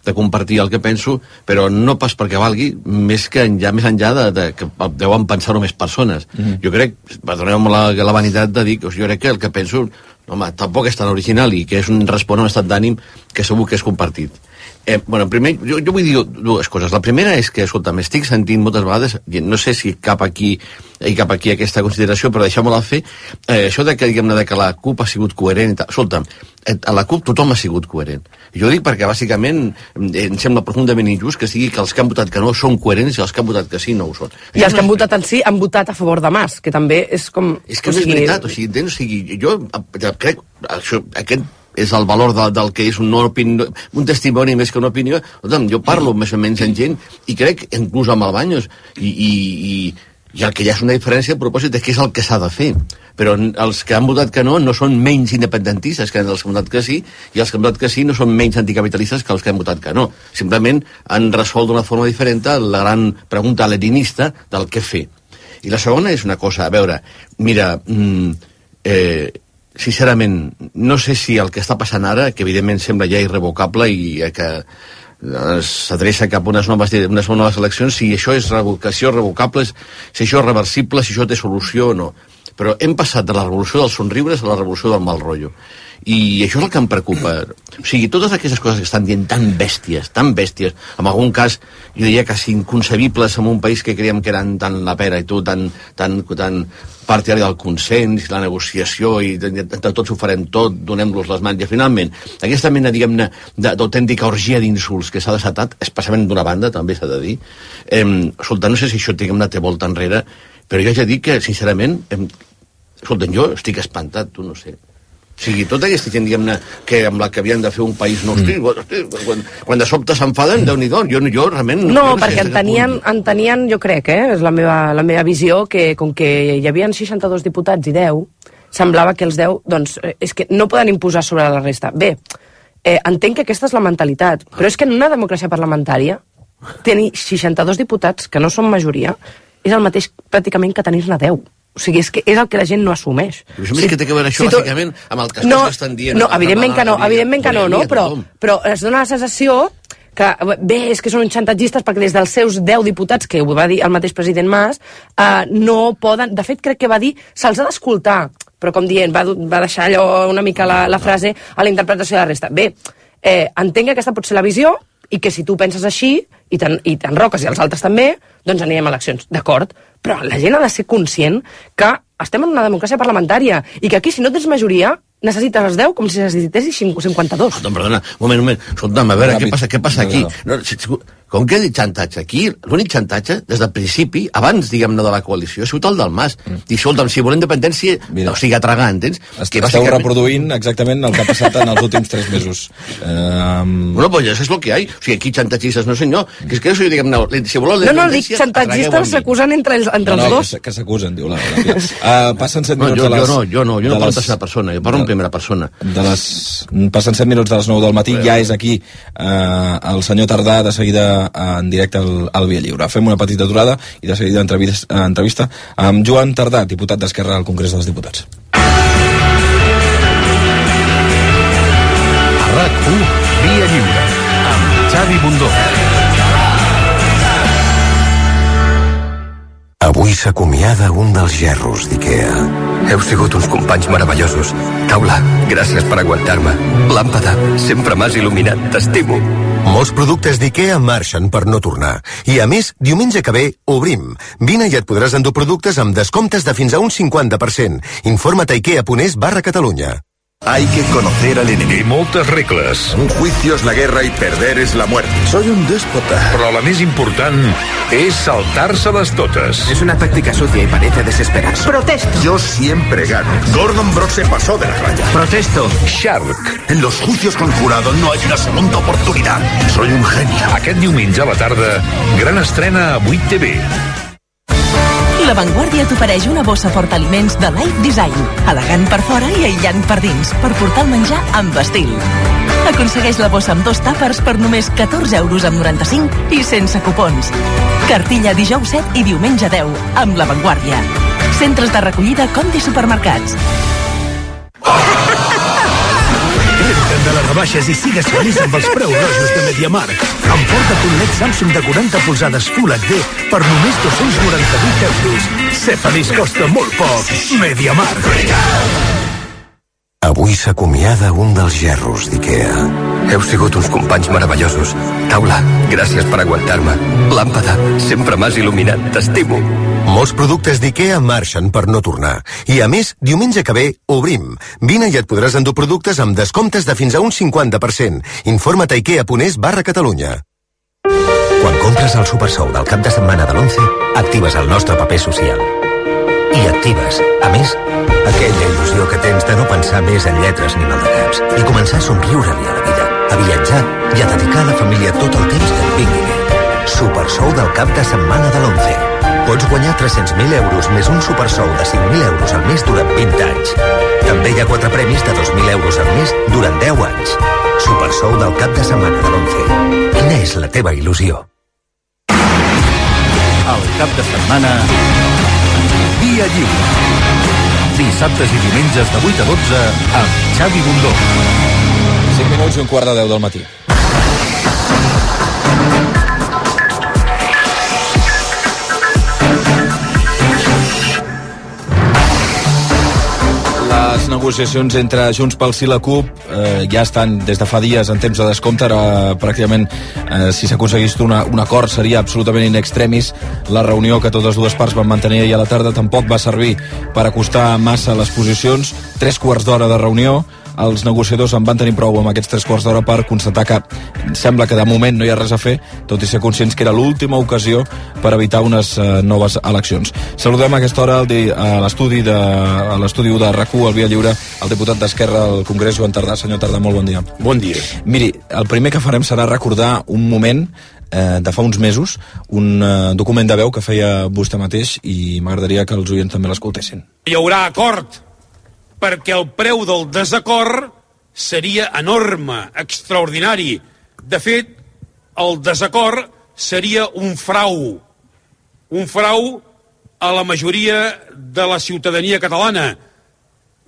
de compartir el que penso, però no pas perquè valgui, més enllà que deuen pensar-ho més persones. Jo crec, perdoneu-me la vanitat de dir que jo crec que el que penso, home, tampoc és tan original i que és respon a un estat d'ànim que segur que és compartit. Primer, jo vull dir dues coses. La primera és que, escolta, m'estic sentint moltes vegades, no sé si cap aquí aquesta consideració, però deixeu-me-la fer, això de que, diguem-ne, que la CUP ha sigut coherent. Escolta, a la CUP tothom ha sigut coherent. Jo dic perquè, bàsicament, em sembla profundament injust que sigui que els que han votat que no són coherents i els que han votat que sí no ho són. I els que han votat en sí han votat a favor de Mas, que també és com... És que no és veritat, entens? Jo crec, aquest és el valor del que és un testimoni més que una opinió. Jo parlo més o menys amb gent i crec, inclús amb el Baños, i el que ja és una diferència a propòsit de què és el que s'ha de fer. Però els que han votat que no són menys independentistes que els que han votat que sí, i els que han votat que sí no són menys anticapitalistes que els que han votat que no. Simplement han resolt d'una forma diferent la gran pregunta leninista del què fer. I la segona és una cosa, a veure, mira, sincerament, no sé si el que està passant ara, que evidentment sembla ja irrevocable i que s'adreça cap a unes noves eleccions, si això és revocable, si això és reversible, si això té solució o no. Però hem passat de la revolució dels somriures a la revolució del mal rotllo. I això és el que em preocupa. O sigui, totes aquestes coses que estan dient tan bèsties, en algun cas, jo diria quasi inconcebibles en un país que creiem que eren tan la pera i tan partidari del consens i la negociació i entre tots ho farem tot, donem-los les mans i finalment aquesta mena, diguem-ne, d'autèntica orgia d'insults que s'ha desatat, especialment d'una banda, també s'ha de dir. Escolta, no sé si això, diguem-ne, té volta enrere, però jo ja dic que, sincerament, escolta, jo estic espantat, tu no sé. O sigui, tota aquesta gent, diguem-ne, que amb la que havien de fer un país nou, quan de sobte s'enfaden, Déu-n'hi-do, jo realment... No, perquè entenien, jo crec, és la meva visió, que com que hi havia 62 diputats i 10, semblava que els 10, doncs, és que no poden imposar sobre la resta. Bé, entenc que aquesta és la mentalitat, però és que en una democràcia parlamentària, tenir 62 diputats, que no són majoria, és el mateix pràcticament que tenir-ne 10. O sigui, és que és el que la gent no assumeix. Però això que té que veure això, bàsicament, amb el que estan dient... No, evidentment que no, però es dona la sensació que, bé, és que són uns xantatgistes perquè des dels seus 10 diputats, que ho va dir el mateix president Mas, no poden... De fet, crec que va dir, se'ls ha d'escoltar, però com dient, va deixar allò una mica la frase a la interpretació de la resta. Bé, entenc que aquesta pot ser la visió, i que si tu penses així, i t'enroques i els altres també, doncs anirem a eleccions, d'acord? Però la gent ha de ser conscient que estem en una democràcia parlamentària i que aquí, si no tens majoria, necessites els 10 com si necessitessis 52. Perdona, un moment. Escolta'm, a veure, què passa aquí? Com que he dit xantatge? Aquí, l'únic xantatge, des del principi, abans, diguem-ne, de la coalició, ha sigut el del Mas. I escolta'm, si volem independència, o sigui, a tragar, entens? Esteu reproduint exactament el que ha passat en els últims 3 mesos. Bueno, pues això és el que hi ha. O sigui, aquí xantatgistes, no senyor. Que és que això, diguem-ne, si voleu la independència... No, dic xantatgistes s'acusen entre els dos. Que s'acusen, diu la Pia. Passen 7 minuts de les... Jo no parlo de tercera persona, jo parlo en primera persona. Passen 7 minuts de les 9 del matí, ja és aquí el senyor Tardà, de seguida en directe al Via Lliure. Fem una petita aturada i de seguida entrevista amb Joan Tardà, diputat d'Esquerra al Congrés dels Diputats. A RAC1, Via Lliure, amb Xavi Bundó. Avui s'acomiada un dels gerros d'Ikea. Heu sigut uns companys meravellosos. Taula, gràcies per aguantar-me. Làmpada, sempre m'has il·luminat. T'estimo. Molts productes d'Ikea marxen per no tornar. I a més, diumenge que ve, obrim. Vine i et podràs endur productes amb descomptes de fins a un 50%. Informa't a ikea.es/Catalunya. Hay que conocer al enemigo. Y moltes regles. Un juicio es la guerra y perder es la muerte. Soy un déspota. Però la més important és saltar-se-les totes. Es una táctica sucia y parece desesperarse. Protesto. Yo siempre gano. Gordon Brock se pasó de la raya. Protesto. Shark. En los juicios con jurado no hay una segunda oportunidad. Soy un genio. Aquest diumenge a la tarda, gran estrena a 8TV. La Vanguardia t'ofereix una bossa portaliments de Life Design, elegant per fora i aïllant per dins, per portar el menjar amb estil. Aconsegueix la bossa amb 2 tàpers per només 14,95 € i sense cupons. Cartilla dijous 7 i diumenge 10, amb La Vanguardia. Centres de recollida Conti Supermercats. de les rebaixes i sigues feliç amb els preus rojos de MediaMarkt. Emporta't un LED Samsung de 40 polzades Full HD per només 298 euros. Ser feliç costa molt poc. MediaMarkt. Avui s'acomiada un dels gerros d'IKEA. Heu sigut uns companys meravellosos. Taula, gràcies per aguantar-me. Làmpada, sempre m'has il·luminat. T'estimo. Molts productes d'IKEA marxen per no tornar. I a més, diumenge que ve, obrim. Vine i et podràs endur productes amb descomptes de fins a un 50%. Informa't a ikea.es/Catalunya. Quan compres el Supersou del cap de setmana de l'11, actives el nostre paper social. I actives, a més, aquella il·lusió que tens de no pensar més en lletres ni maldecaps i començar a somriure-li a la vida, a viatjar i a dedicar a la família tot el temps que et vingui bé. Supersou del cap de setmana de l'11. Pots guanyar 300.000 euros més un supersou de 5.000 euros al mes durant 20 anys. També hi ha 4 premis de 2.000 euros al mes durant 10 anys. Supersou del cap de setmana de l'11. Quina és la teva il·lusió? El cap de setmana... Dia lliure. Dissabtes i diumenges de 8 a 12 amb Xavi Bundó. 5 minuts i un quart de 10 del matí. Les negociacions entre Junts pel Sí i la CUP ja estan des de fa dies en temps de descompte. Ara pràcticament si s'aconseguís un acord seria absolutament in extremis. La reunió que totes dues parts van mantenir ahir a la tarda tampoc va servir per acostar massa les posicions. 3 quarts d'hora de reunió. Els negociadors en van tenir prou amb aquests 3 quarts d'hora per constatar que sembla que de moment no hi ha res a fer, tot i ser conscients que era l'última ocasió per evitar unes noves eleccions. Saludem a aquesta hora a l'estudi de RAC1, al Via Lliure, el diputat d'Esquerra al Congrés, Joan Tardà. Senyor Tardà, molt bon dia. Bon dia. Miri, el primer que farem serà recordar un moment de fa uns mesos, un document de veu que feia vostè mateix, i m'agradaria que els oients també l'escoltessin. Hi haurà acord, perquè el preu del desacord seria enorme, extraordinari. De fet, el desacord seria un frau a la majoria de la ciutadania catalana.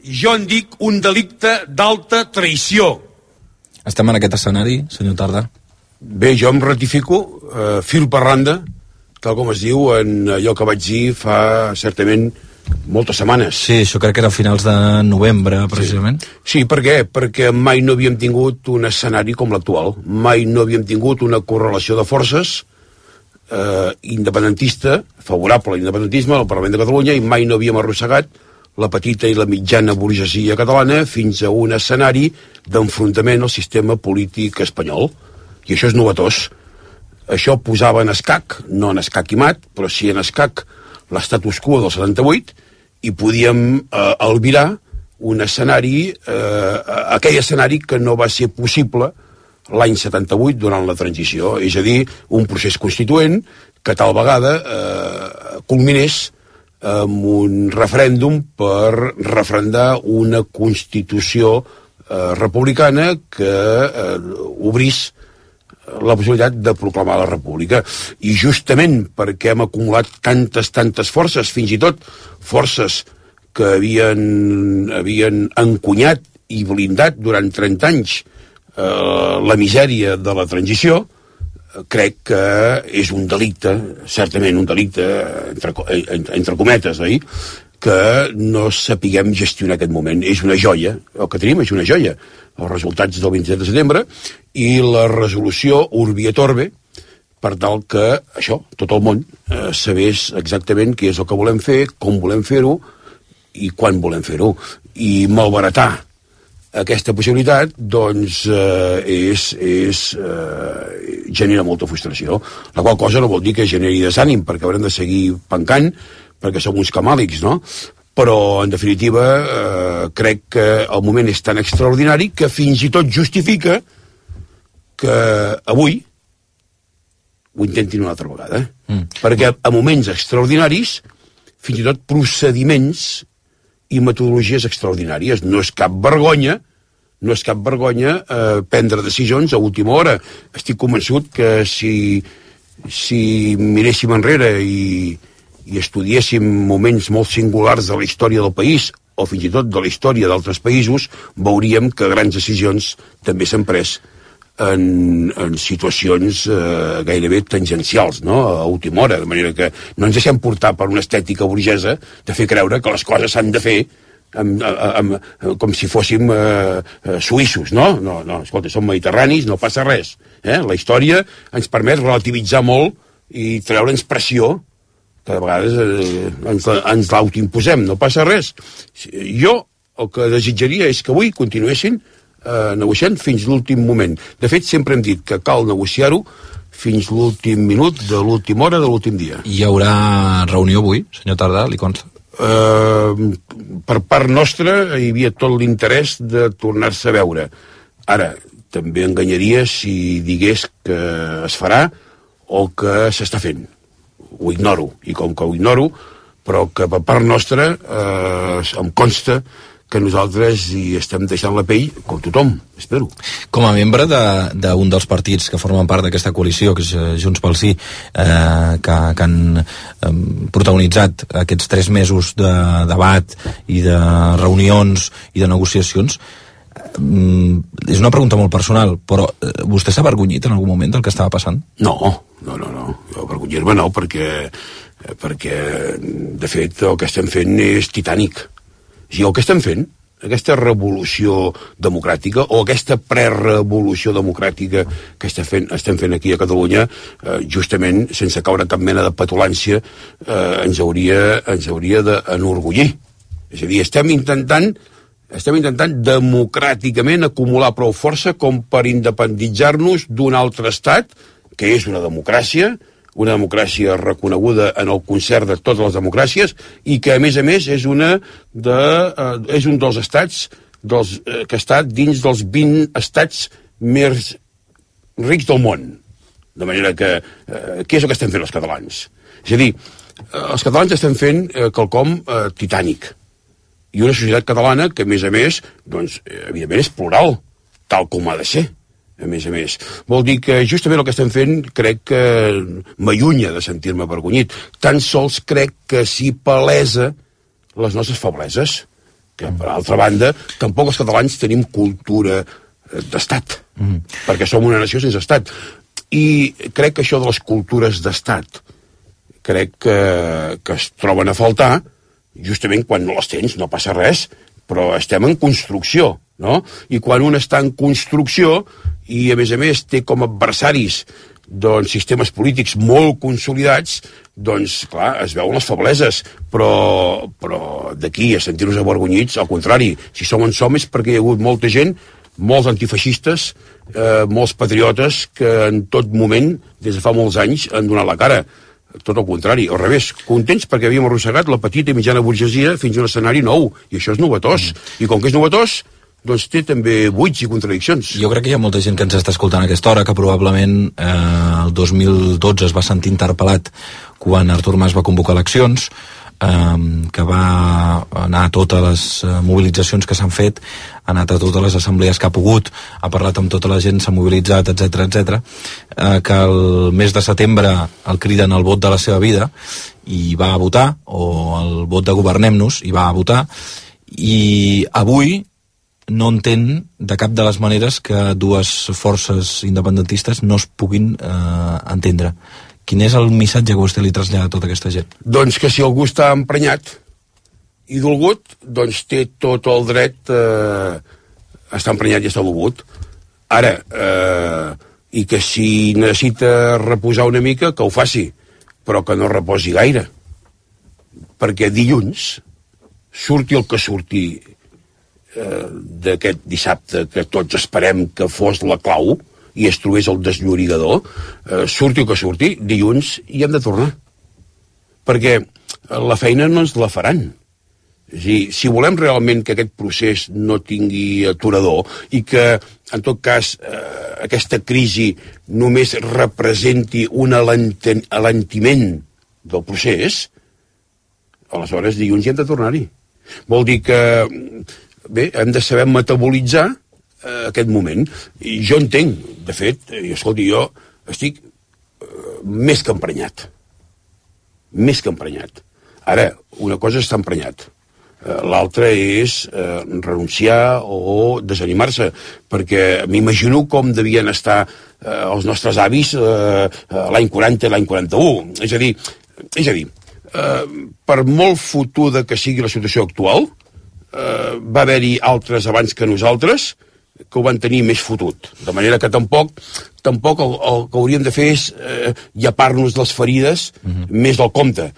Jo en dic un delicte d'alta traïció. Estem en aquest escenari, senyor Tardà? Bé, jo em ratifico, fil per randa, tal com es diu en allò que vaig dir fa certament moltes setmanes. Sí, això crec que era a finals de novembre, precisament. Sí, per què? Perquè mai no havíem tingut un escenari com l'actual. Mai no havíem tingut una correlació de forces independentista, favorable a l'independentisme al Parlament de Catalunya, i mai no havíem arrossegat la petita i la mitjana burgesia catalana fins a un escenari d'enfrontament al sistema polític espanyol. I això és novetós. Això posava en escac, no en escac i mat, però sí en escac l'estatus quo del 78, i podíem albirar un escenari, aquell escenari que no va ser possible l'any 78 durant la transició, és a dir, un procés constituent que tal vegada culminés amb un referèndum per referendar una constitució republicana que obrís la possibilitat de proclamar la república. I justament perquè hem acumulat tantes forces, fins i tot forces que havien encunyat i blindat durant 30 anys la misèria de la transició, crec que és un delicte, certament un delicte entre cometes, oi? Que no sapiguem gestionar aquest moment. És una joia, el que tenim és una joia, els resultats del 27 de setembre i la resolució Urbi et Orbi, per tal que això, tot el món sabés exactament què és el que volem fer, com volem fer-ho i quan volem fer-ho. I malbaratar aquesta possibilitat, doncs, genera molta frustració, la qual cosa no vol dir que generi desànim, perquè haurem de seguir pencant, perquè som uns camàlics, no? Però, en definitiva, crec que el moment és tan extraordinari que fins i tot justifica que avui ho intentin una altra vegada. Perquè a moments extraordinaris, fins i tot procediments i metodologies extraordinàries. No és cap vergonya prendre decisions a última hora. Estic convençut que si miréssim enrere i estudiéssim moments molt singulars de la història del país o fins i tot de la història d'altres països, veuríem que grans decisions també s'han pres en situacions gairebé tangencials, no? A última hora, de manera que no ens deixem portar per una estètica burgesa de fer creure que les coses s'han de fer com si fóssim suïssos, no? No, escolta, som mediterranis, no passa res. La història ens permet relativitzar molt i treure'ns pressió que de vegades ens l'autoimposem, no passa res. Jo el que desitjaria és que avui continuessin negociant fins l'últim moment. De fet, sempre hem dit que cal negociar-ho fins l'últim minut de l'última hora de l'últim dia. Hi haurà reunió avui, senyor Tardà, li consta? Per part nostra hi havia tot l'interès de tornar-se a veure. Ara, també enganyaria si digués que es farà o que s'està fent. Ho ignoro, i com que ho ignoro, però que per part nostra em consta que nosaltres hi estem deixant la pell, com tothom, espero. Com a membre d'un dels partits que formen part d'aquesta coalició, que és Junts pel Sí, que han protagonitzat aquests 3 mesos de debat i de reunions i de negociacions, és una pregunta molt personal, però vostè s'ha avergonyit en algun moment del que estava passant? No. Jo avergonyir-me no, perquè de fet el que estem fent és titànic. I el que estem fent, aquesta revolució democràtica o aquesta prerevolució democràtica que estem fent aquí a Catalunya, justament, sense caure cap mena de petulància, ens hauria d'enorgullir. És a dir, estem intentant democràticament acumular prou força com per independitzar-nos d'un altre estat, que és una democràcia reconeguda en el concert de totes les democràcies i que, a més, és un dels estats que està dins dels 20 estats més rics del món. De manera que, què és el que estem fent els catalans? És a dir, els catalans estem fent quelcom titànic. I una societat catalana que, a més, doncs, evidentment és plural, tal com ha de ser. A més. Vol dir que justament el que estem fent crec que m'allunya de sentir-me avergonyit. Tan sols crec que s'hi palesa les nostres febleses, que per altra banda tampoc els catalans tenim cultura d'estat, perquè som una nació sense estat. I crec que això de les cultures d'estat crec que es troben a faltar justament quan no les tens, no passa res, però estem en construcció, no? I quan un està en construcció i, a més, té com adversaris doncs, sistemes polítics molt consolidats, doncs, clar, es veuen les febleses, però d'aquí a sentir-nos avergonyits, al contrari, si som on som és perquè hi ha hagut molta gent, molts antifeixistes, molts patriotes que en tot moment, des de fa molts anys, han donat la cara. Tot el contrari, al revés, contents perquè havíem arrossegat la petita i mitjana burgesia fins a un escenari nou, i això és novetós. I com que és novetós, doncs té també buits i contradiccions. Jo crec que hi ha molta gent que ens està escoltant a aquesta hora que probablement el 2012 es va sentir interpel·lat quan Artur Mas va convocar eleccions, que va anar a totes les mobilitzacions que s'han fet, ha anat a totes les assemblees que ha pogut, ha parlat amb tota la gent, s'ha mobilitzat, etc, que el mes de setembre el criden al vot de la seva vida i va a votar, o el vot de Governem-nos i va a votar, i avui no entén de cap de les maneres que dues forces independentistes no es puguin entendre. Quin és el missatge que vostè li trasllada a tota aquesta gent? Doncs que si algú està emprenyat i dolgut, doncs té tot el dret a estar emprenyat i estar dolgut. Ara, i que si necessita reposar una mica, que ho faci, però que no reposi gaire. Perquè dilluns, surti el que surti d'aquest dissabte, que tots esperem que fos la clau, i es trobés el desllorigador, surti el que surti, dilluns hi hem de tornar. Perquè la feina no ens la faran. És a dir, si volem realment que aquest procés no tingui aturador i que, en tot cas, aquesta crisi només representi un alentiment del procés, aleshores dilluns hi hem de tornar-hi. Vol dir que, bé, hem de saber metabolitzar aquest moment. I jo entenc, de fet, i escolti, jo estic més que emprenyat. Més que emprenyat. Ara, una cosa és estar emprenyat. l'altre és renunciar o desanimar-se, perquè m'imagino com devien estar els nostres avis l'any 40 i l'any 41. És a dir, per molt fotuda que sigui la situació actual, va haver-hi altres abans que nosaltres que ho van tenir més fotut. De manera que tampoc el que hauríem de fer és llepar-nos les ferides més del compte.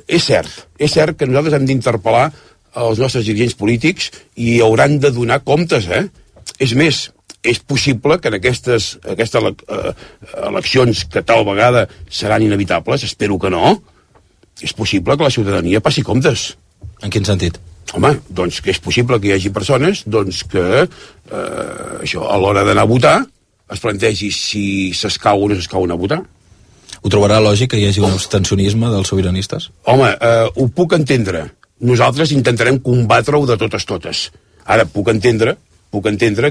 És cert que nosaltres hem d'interpel·lar els nostres dirigents polítics i hauran de donar comptes, És més, és possible que en aquestes eleccions que tal vegada seran inevitables, espero que no, és possible que la ciutadania passi comptes. En quin sentit? Home, doncs que és possible que hi hagi persones que això, a l'hora d'anar a votar es plantegi si s'escau o no s'escau anar a votar. Ho trobarà lògic que hi hagi un abstencionisme dels sobiranistes? Home, ho puc entendre. Nosaltres intentarem combatre-ho de totes. Ara, puc entendre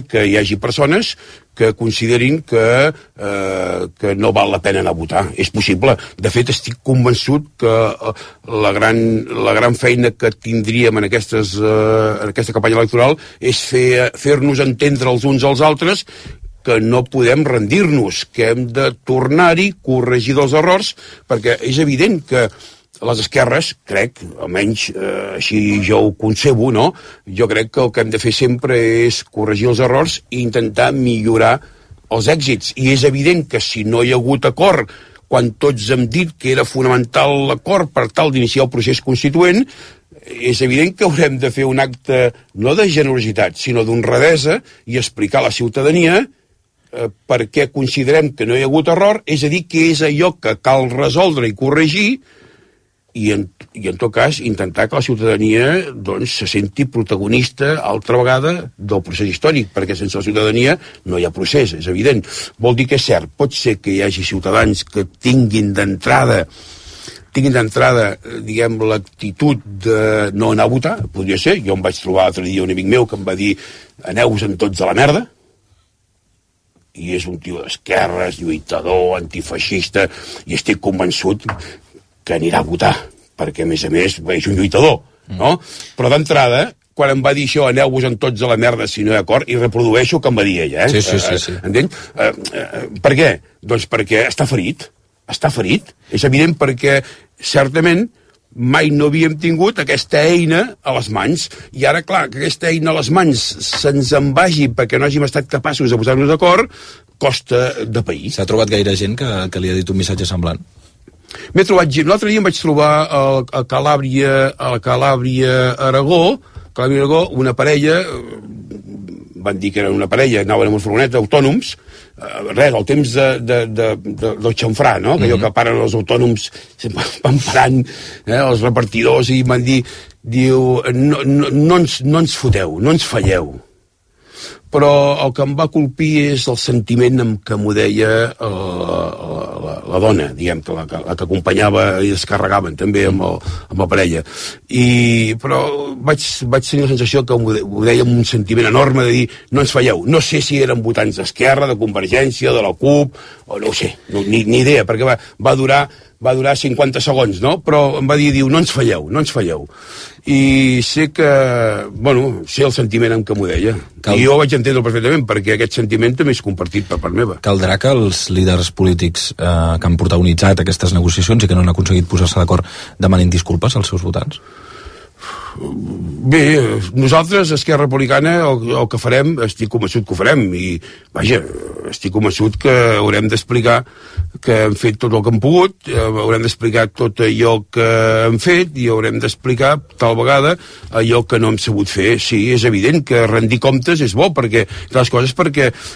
que hi hagi persones que considerin que no val la pena anar a votar. És possible. De fet, estic convençut que la gran feina que tindríem en aquesta campanya electoral és fer-nos entendre els uns als altres que no podem rendir-nos, que hem de tornar-hi, corregir dels errors, perquè és evident que les esquerres, crec, almenys així jo ho concebo, no? Jo crec que el que hem de fer sempre és corregir els errors i intentar millorar els èxits. I és evident que si no hi ha hagut acord, quan tots hem dit que era fonamental l'acord per tal d'iniciar el procés constituent, és evident que haurem de fer un acte no de generositat, sinó d'honradesa i explicar a la ciutadania per què considerem que no hi ha hagut error, és a dir, que és allò que cal resoldre i corregir, i en tot cas intentar que la ciutadania doncs, se senti protagonista altra vegada del procés històric, perquè sense la ciutadania no hi ha procés, és evident. Vol dir que és cert, pot ser que hi hagi ciutadans que tinguin d'entrada, diguem, l'actitud de no anar a votar, podria ser. Jo em vaig trobar l'altre dia un amic meu que em va dir aneu-vos-en tots a la merda, i és un tio d'esquerres, lluitador, antifeixista, i estic convençut que anirà a votar, perquè a més és un lluitador, no? Però d'entrada, quan em va dir això, aneu-vos-en tots a la merda si no hi ha acord, i reprodueixo el que em va dir ella, Sí. Entens? Per què? Doncs perquè està ferit. És evident perquè, certament, mai no havíem tingut aquesta eina a les mans, i ara, clar, que aquesta eina a les mans se'ns en vagi perquè no hàgim estat capaços de posar-nos d'acord, costa de pair. S'ha trobat gaire gent que li ha dit un missatge semblant? M'he trobat gent. L'altre dia em vaig trobar a Calàbria, Aragó, una parella, van dir que era una parella, anaven amb una furgoneta, autònoms, al temps del xamfrà, no? Que allò que paren els autònoms van parant els repartidors i van dir, no ens foteu, no ens falleu. Però el que em va colpir és el sentiment amb què m'ho deia la dona, diguem, la que acompanyava i es carregaven també amb la parella. Però vaig tenir la sensació que ho deia amb un sentiment enorme de dir, no ens falleu. No sé si eren votants d'Esquerra, de Convergència, de la CUP, o no ho sé, ni idea, perquè va durar 50 segons, no? Però em va dir, no ens falleu. I sé el sentiment amb què m'ho deia. I jo ho vaig entendre perfectament, perquè aquest sentiment també és compartit per part meva. Caldrà que els líders polítics que han protagonitzat aquestes negociacions i que no han aconseguit posar-se d'acord demanin disculpes als seus votants? Bé, nosaltres, Esquerra Republicana, el que farem, estic convençut que ho farem, i vaja, estic convençut que haurem d'explicar que hem fet tot el que hem pogut, haurem d'explicar tot allò que hem fet i haurem d'explicar tal vegada allò que no hem sabut fer. Sí, és evident que rendir comptes és bo, perquè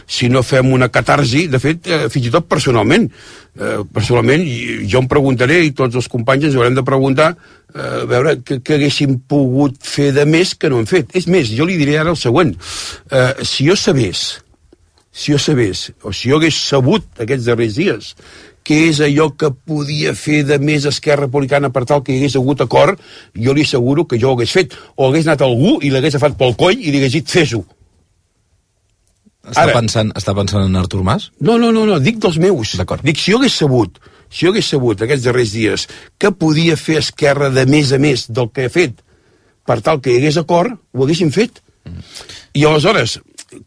si no fem una catarsi, de fet, fins i tot personalment jo em preguntaré, i tots els companys ens haurem de preguntar a veure què haguéssim pogut fer de més que no hem fet. És més, jo li diré ara el següent. Si jo sabés, o si jo hagués sabut aquests darrers dies què és allò que podia fer de més Esquerra Republicana per tal que hi hagués hagut acord, jo li asseguro que jo ho hagués fet. O hagués anat algú i l'hagués agafat pel coll i li hagués dit, fes-ho. Està pensant en Artur Mas? No, dic dels meus. Dic, si jo hagués sabut aquests darrers dies què podia fer Esquerra de més a més del que ha fet, per tal que hi hagués acord, ho haguessin fet. I aleshores,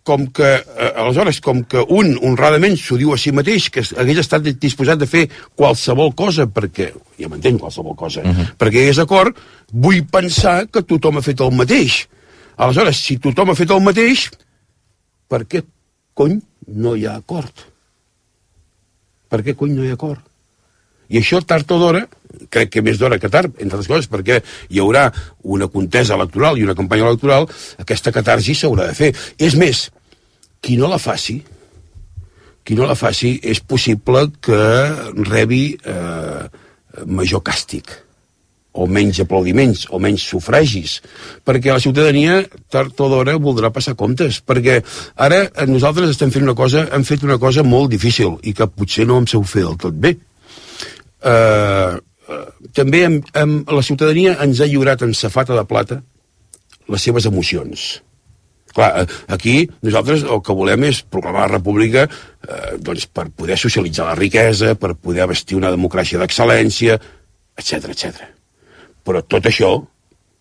com que un honradament s'ho diu a si mateix, que hagués estat disposat de fer qualsevol cosa, perquè, ja m'entenc, qualsevol cosa, perquè hi hagués acord, vull pensar que tothom ha fet el mateix. Aleshores, si tothom ha fet el mateix, per què cony no hi ha acord? Per què cony no hi ha acord? I això, tard o d'hora, crec que més d'hora que tard, entre les coses, perquè hi haurà una contesa electoral i una campanya electoral, aquesta catarsi s'haurà de fer. És més, qui no la faci, és possible que rebi major càstig, o menys aplaudiments, o menys sufragis, perquè la ciutadania, tard o d'hora, voldrà passar comptes, perquè ara nosaltres hem fet una cosa molt difícil, i que potser no em sabeu fer del tot bé. També la ciutadania ens ha lliurat en safata de plata les seves emocions. Clar, aquí nosaltres el que volem és proclamar la república doncs per poder socialitzar la riquesa, per poder vestir una democràcia d'excel·lència, etc. Però tot això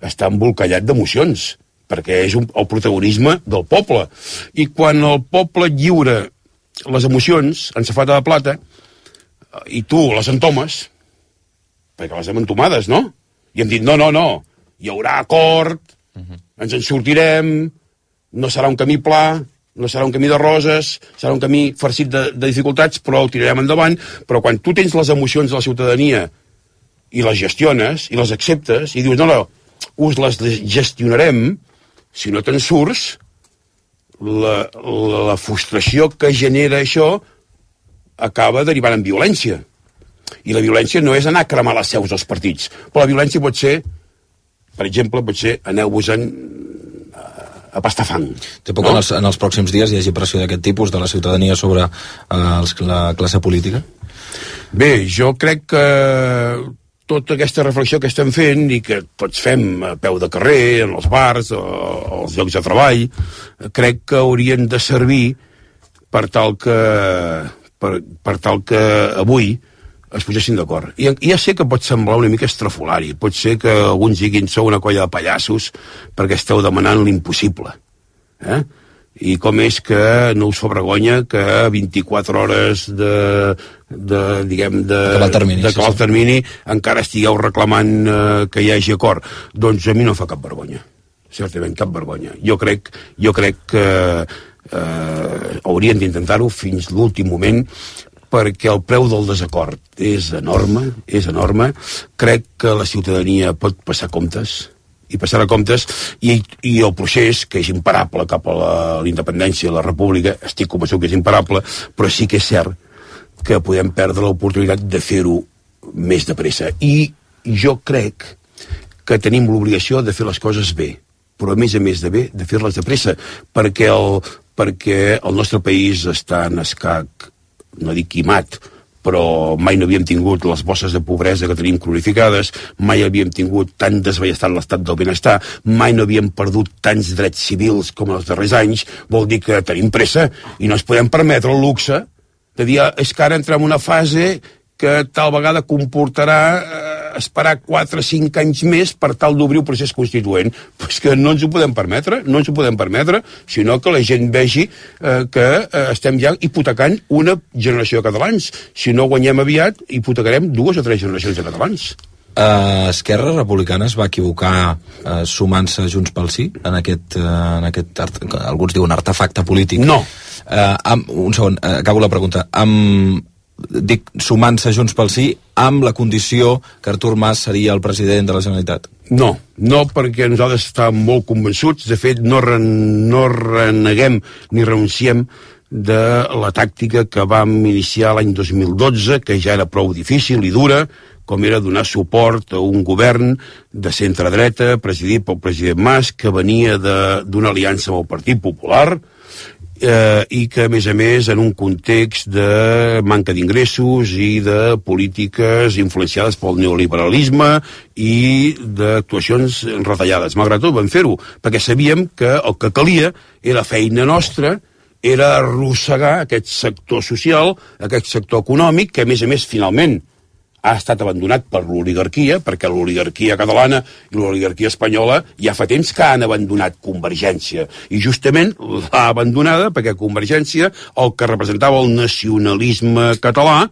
està embolcallat d'emocions, perquè és el protagonisme del poble. I quan el poble lliura les emocions en safata de plata, i tu les entomes, perquè les hem entomades, no? I hem dit, no, hi haurà acord, ens en sortirem, no serà un camí pla, no serà un camí de roses, serà un camí farcit de dificultats, però ho tirarem endavant. Però quan tu tens les emocions de la ciutadania i les gestiones, i les acceptes, i dius, no, us les gestionarem, si no te'n surts, la frustració que genera això acaba derivant en violència. I la violència no és anar a cremar les seus dels partits, però la violència pot ser, per exemple, aneu-vos-en a pastar fang. Té por que en els pròxims dies hi hagi pressió d'aquest tipus de la ciutadania sobre la classe política? Bé, jo crec que tota aquesta reflexió que estem fent i que tots fem a peu de carrer, en els bars, als llocs de treball, crec que haurien de servir per tal que avui es posessin d'acord. I ja sé que pot semblar una mica estrafolari, pot ser que alguns diguin sou una colla de pallassos perquè esteu demanant l'impossible. I com és que no us fa vergonya que 24 hores d'acabar el termini encara estigueu reclamant que hi hagi acord? Doncs a mi no fa cap vergonya, certament cap vergonya. Jo crec que haurien d'intentar-ho fins l'últim moment, perquè el preu del desacord és enorme. Crec que la ciutadania pot passar comptes, i passarà comptes, i el procés, que és imparable cap a la independència de la república, estic convençut que és imparable, però sí que és cert que podem perdre l'oportunitat de fer-ho més de pressa. I jo crec que tenim l'obligació de fer les coses bé, però a més de bé, de fer-les de pressa, perquè el nostre país està en escac, no dic quimat, però mai no havíem tingut les bosses de pobresa que tenim cronificades, mai havíem tingut tan desballestat l'estat del benestar, mai no havíem perdut tants drets civils com els darrers anys. Vol dir que tenim pressa i no ens podem permetre el luxe de dir és que ara entrem en una fase que tal vegada comportarà esperar 4 o 5 anys més per tal d'obrir un procés constituent. Però és que no ens ho podem permetre, sinó que la gent vegi que estem ja hipotecant una generació de catalans. Si no guanyem aviat, hipotecarem 2 o 3 generacions de catalans. Esquerra Republicana es va equivocar sumant-se Junts pel Sí en aquest alguns diuen artefacte polític? No. Un segon, acabo la pregunta. Dic sumant-se Junts pel Sí amb la condició que Artur Mas seria el president de la Generalitat? No, perquè nosaltres estàvem molt convençuts, de fet no reneguem ni renunciem de la tàctica que vam iniciar l'any 2012, que ja era prou difícil i dura, com era donar suport a un govern de centre-dreta presidit pel president Mas, que venia d'una aliança amb el Partit Popular, i que a més en un context de manca d'ingressos i de polítiques influenciades pel neoliberalisme i d'actuacions retallades. Malgrat tot vam fer-ho, perquè sabíem que el que calia era feina nostra, era arrossegar aquest sector social, aquest sector econòmic, que a més finalment ha estat abandonat per l'oligarquia, perquè l'oligarquia catalana i l'oligarquia espanyola ja fa temps que han abandonat Convergència. I justament l'ha abandonada perquè Convergència, el que representava el nacionalisme català,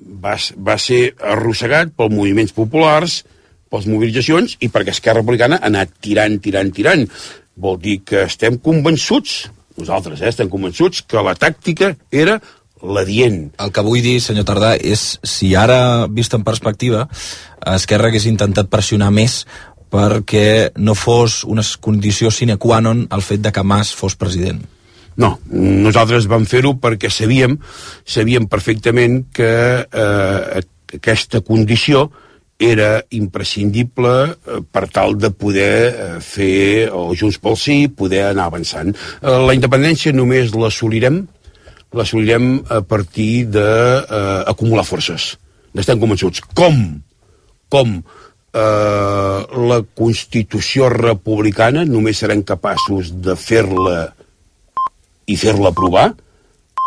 va ser arrossegat pels moviments populars, pels mobilitzacions, i perquè Esquerra Republicana ha anat tirant. Vol dir que estem convençuts, nosaltres estem convençuts, que la tàctica era l'adient. El que vull dir, senyor Tardà, és si ara, vist en perspectiva, Esquerra hagués intentat pressionar més perquè no fos una condició sine qua non el fet de que Mas fos president. No, nosaltres vam fer-ho perquè sabíem perfectament que aquesta condició era imprescindible per tal de poder fer Junts pel Sí, poder anar avançant. La independència només l'assolirem a partir d'acumular forces. N'estem convençuts. Com la Constitució republicana només serem capaços de fer-la i fer-la aprovar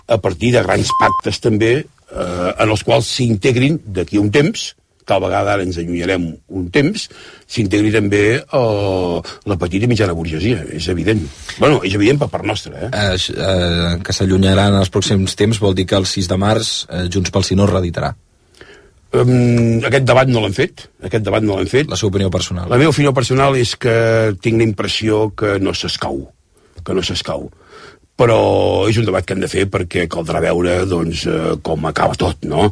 a partir de grans pactes també en els quals s'integrin d'aquí a un temps, tal vegada ara ens allunyarem un temps, s'integri també la petita i mitjana burgesia, és evident. Bueno, és evident per part nostra. Que s'allunyaran en els pròxims temps vol dir que el 6 de març Junts pel Sí no es reeditarà. Aquest debat no l'hem fet. La seva opinió personal. La meva opinió personal és que tinc la impressió que no s'escau. Però és un debat que hem de fer perquè caldrà veure doncs, com acaba tot, no?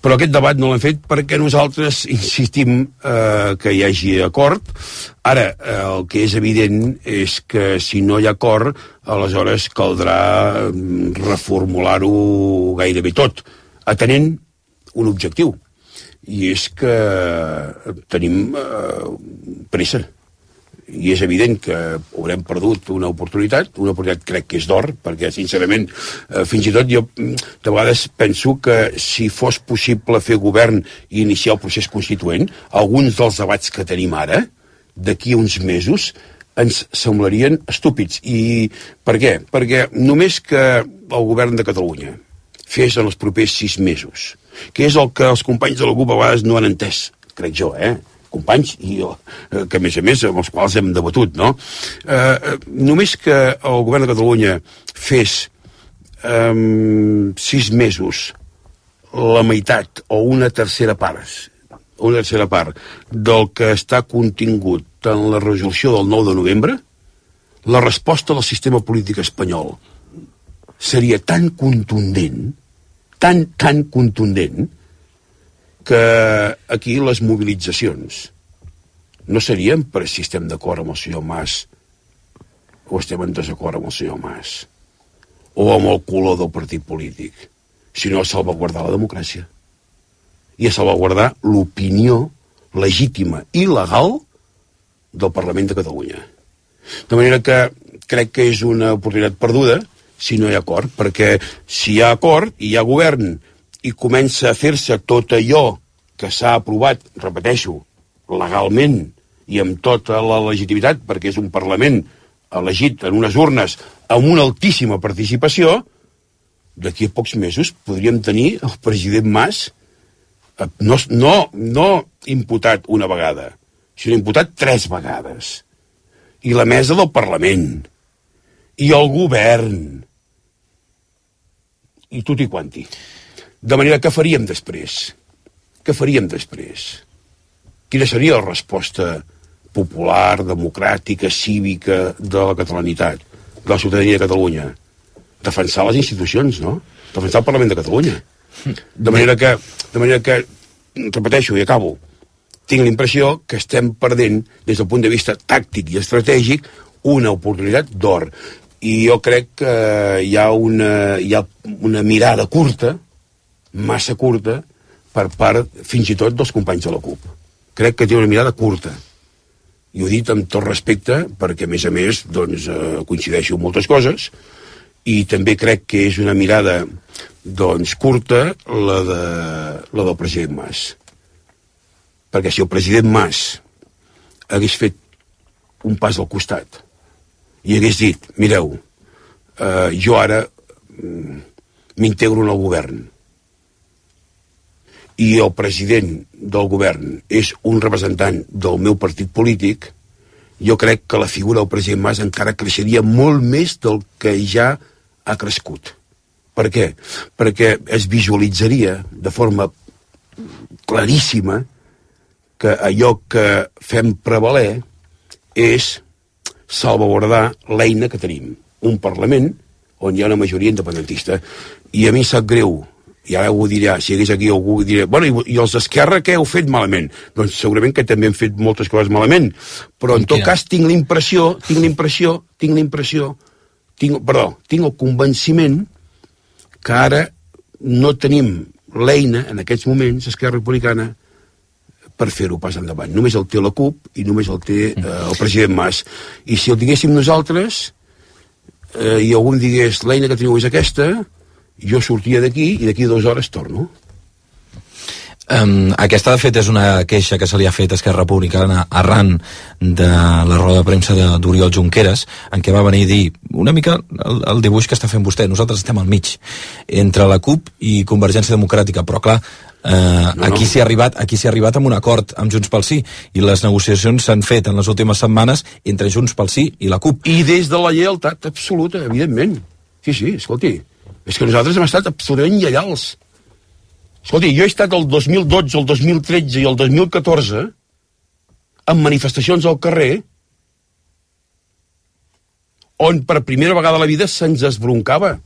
Però aquest debat no l'hem fet perquè nosaltres insistim que hi hagi acord. Ara, el que és evident és que si no hi ha acord, aleshores caldrà reformular-ho gairebé tot, atenent un objectiu, i és que tenim pressa. I és evident que haurem perdut una oportunitat crec que és d'or, perquè sincerament fins i tot jo de vegades penso que si fos possible fer govern i iniciar el procés constituent, alguns dels debats que tenim ara, d'aquí a uns mesos, ens semblarien estúpids. I per què? Perquè només que el govern de Catalunya fes en els propers 6 mesos, que és el que els companys de la CUP a vegades no han entès, crec jo, companys, i que a més amb els quals hem debatut, no? Només que el govern de Catalunya fes 6 mesos la meitat o una tercera part del que està contingut en la resolució del 9 de novembre, la resposta del sistema polític espanyol seria tan contundent, tan contundent, que aquí les mobilitzacions no serien per si estem d'acord amb el senyor Mas o estem en desacord amb el senyor Mas o amb el color del partit polític, sinó a salvaguardar la democràcia i a salvaguardar l'opinió legítima i legal del Parlament de Catalunya. De manera que crec que és una oportunitat perduda si no hi ha acord, perquè si hi ha acord i hi ha govern i comença a fer-se tot allò que s'ha aprovat, repeteixo, legalment i amb tota la legitimitat, perquè és un Parlament elegit en unes urnes amb una altíssima participació, d'aquí a pocs mesos podríem tenir el president Mas no imputat una vegada, sinó imputat 3 vegades. I la mesa del Parlament, i el govern, i tutti quanti. De manera que faríem després? Quina seria la resposta popular, democràtica, cívica de la catalanitat, de la ciutadania de Catalunya? Defensar les institucions, no? Defensar el Parlament de Catalunya. De manera que, repeteixo i acabo, tinc la impressió que estem perdent, des del punt de vista tàctic i estratègic, una oportunitat d'or. I jo crec que hi ha una mirada curta, massa curta, per part, fins i tot, dels companys de la CUP. Crec que té una mirada curta. I ho he dit amb tot respecte, perquè, a més, doncs, coincideixo en moltes coses, i també crec que és una mirada, doncs, curta, la del president Mas. Perquè si el president Mas hagués fet un pas al costat i hagués dit, mireu, jo ara m'integro en el govern, i el president del govern és un representant del meu partit polític, jo crec que la figura del president Mas encara creixeria molt més del que ja ha crescut. Per què? Perquè es visualitzaria de forma claríssima que allò que fem prevaler és salvaguardar l'eina que tenim, un Parlament on hi ha una majoria independentista. I a mi sap greu, i ara ho dirà, si hi hagués aquí algú dirà, bueno, i els d'Esquerra què heu fet malament? Doncs segurament que també hem fet moltes coses malament, però en tot cas tinc el convenciment que ara no tenim l'eina, en aquests moments, Esquerra Republicana, per fer-ho pas endavant. Només el té la CUP i només el té el president Mas. I si el diguéssim nosaltres, i algú em digués l'eina que teniu és aquesta, jo sortia d'aquí i d'aquí 2 hores torno. Aquesta, de fet, és una queixa que se li ha fet a Esquerra Republicana arran de la roda de premsa d'Oriol Junqueras, en què va venir a dir una mica el dibuix que està fent vostè. Nosaltres estem al mig, entre la CUP i Convergència Democràtica, però clar, aquí s'hi ha arribat amb un acord amb Junts pel Sí, i les negociacions s'han fet en les últimes setmanes entre Junts pel Sí i la CUP. I des de la lleialtat absoluta, evidentment. Sí, escolti, és que nosaltres hem estat absolutament lleials. Escolti, jo he estat el 2012, el 2013 i el 2014 en manifestacions al carrer on per primera vegada a la vida se'ns esbroncava.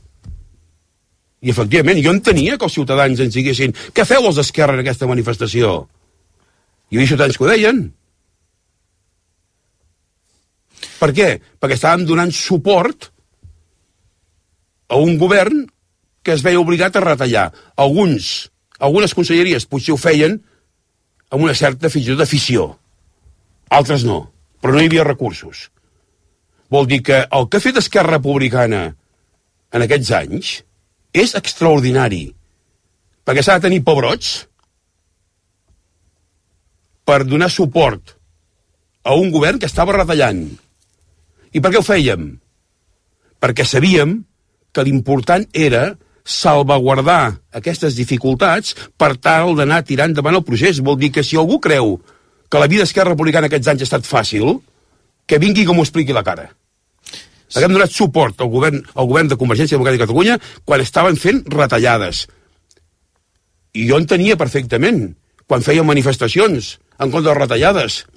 I efectivament, jo entenia que els ciutadans ens diguessin què feu els d'Esquerra en aquesta manifestació? Hi havia ciutadans que ho deien. Per què? Perquè estàvem donant suport a un govern que es veia obligat a retallar. Algunes conselleries potser ho feien amb una certa fins i tot afició. Altres no, però no hi havia recursos. Vol dir que el que ha fet Esquerra Republicana en aquests anys és extraordinari, perquè s'ha de tenir pebrots per donar suport a un govern que estava retallant. I per què ho fèiem? Perquè sabíem que l'important era salvaguardar aquestes dificultats per tal d'anar tirant endavant el procés. Vol dir que si algú creu que la vida d'Esquerra Republicana aquests anys ha estat fàcil, que vingui i que m'ho expliqui la cara. Perquè hem donat suport al govern de Convergència Democràtica de Catalunya quan estaven fent retallades. I jo entenia perfectament quan feien manifestacions en contra de retallades.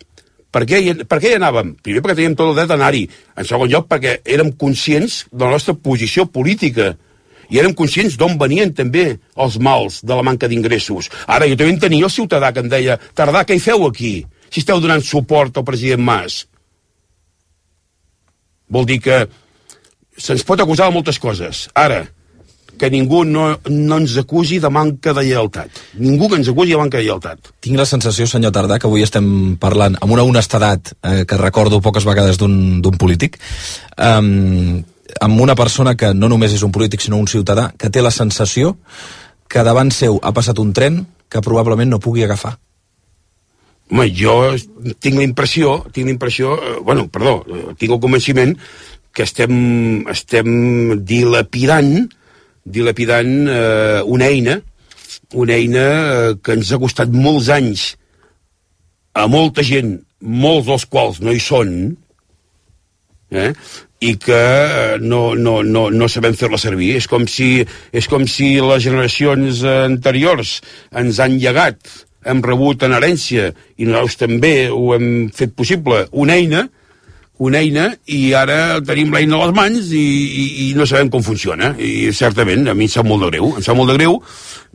Per què hi anàvem? Primer perquè teníem tot el dret a anar-hi. En segon lloc perquè érem conscients de la nostra posició política i érem conscients d'on venien també els mals de la manca d'ingressos. Ara, jo també tenia el ciutadà que em deia Tardà, què hi feu aquí? Si esteu donant suport al president Mas. Vol dir que se'ns pot acusar de moltes coses. Ara, que ningú no ens acusi de manca de lleialtat. Ningú que ens acusi de manca de lleialtat. Tinc la sensació, senyor Tardà, que avui estem parlant amb una honestedat que recordo poques vegades d'un polític, amb una persona que no només és un polític, sinó un ciutadà, que té la sensació que davant seu ha passat un tren que probablement no pugui agafar. Home, jo tinc el convenciment que estem dilapidant una eina que ens ha costat molts anys a molta gent, molts dels quals no hi són, i que no sabem fer-la servir. És com si les generacions anteriors ens han llegat, hem rebut en herència, i nosaltres també ho hem fet possible, una eina, i ara tenim l'eina a les mans i no sabem com funciona. I certament, a mi em sap molt de greu,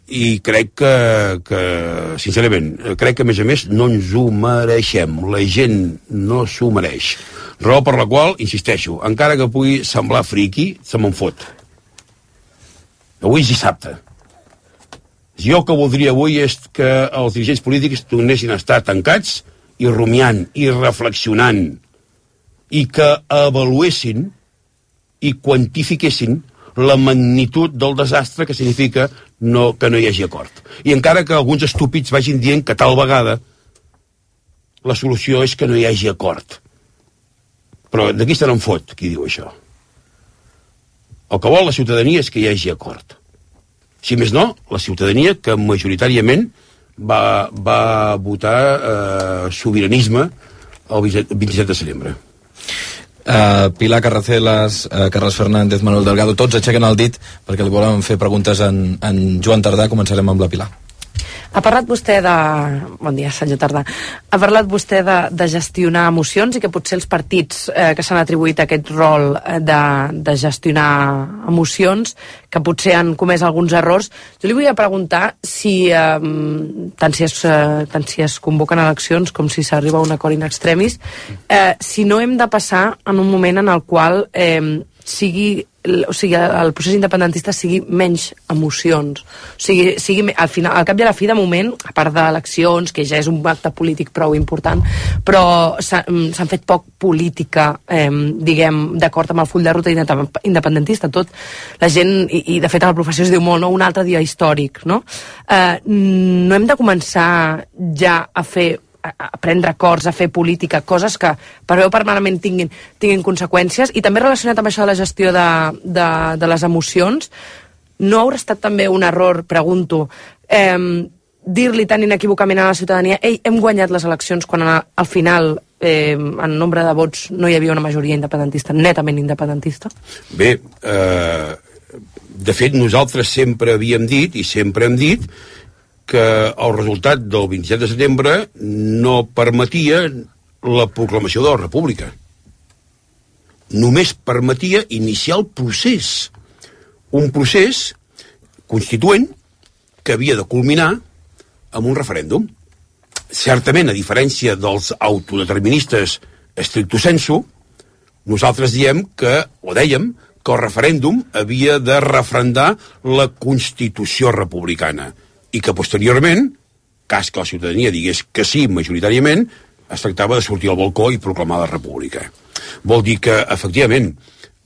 i crec que sincerament, crec que a més no ens ho mereixem. La gent no s'ho mereix. Raó per la qual, insisteixo, encara que pugui semblar friqui, se me'n fot. Avui és dissabte. Jo el que voldria avui és que els dirigents polítics tornessin a estar tancats i rumiant i reflexionant i que avaluessin i quantifiquessin la magnitud del desastre que significa que no hi hagi acord. I encara que alguns estúpids vagin dient que tal vegada la solució és que no hi hagi acord. Però de qui se n'en fot, qui diu això? El que vol la ciutadania és que hi hagi acord. Si més no, la ciutadania que majoritàriament va votar sobiranisme el 27 de setembre. Pilar Carracelas, Carles Fernández, Manuel Delgado, tots aixequen el dit perquè li volen fer preguntes en Joan Tardà. Començarem amb la Pilar. Ha parlat vostè de... Bon dia, senyor Tardà. Ha parlat vostè de gestionar emocions i que potser els partits que s'han atribuït aquest rol de gestionar emocions, que potser han comès alguns errors. Jo li volia preguntar si, tant si es convoquen eleccions com si s'arriba a un acord in extremis, si no hem de passar en un moment en el qual el procés independentista sigui menys emocions, sigui al final, al cap i a la fi, de moment, a part d'eleccions, que ja és un acte polític prou important, però s'han fet poc política, diguem, d'acord amb el full de ruta independentista. Tot la gent, i de fet a la professió es diu molt, no? Un altre dia històric, no? No hem de començar ja a prendre acords, a fer política, coses que per bé o per malament tinguin conseqüències, i també relacionat amb això de la gestió de les emocions, no haurà estat també un error, pregunto, dir-li tan inequívocament a la ciutadania hem guanyat les eleccions quan al final en nombre de vots no hi havia una majoria independentista, netament independentista? Bé, de fet nosaltres sempre havíem dit i sempre hem dit que el resultat del 27 de setembre no permetia la proclamació de la República. Només permetia iniciar el procés. Un procés constituent que havia de culminar amb un referèndum. Certament, a diferència dels autodeterministes stricto sensu, nosaltres dèiem que el referèndum havia de referendar la Constitució republicana i que posteriorment, cas que la ciutadania digués que sí majoritàriament, es tractava de sortir al balcó i proclamar la República. Vol dir que, efectivament,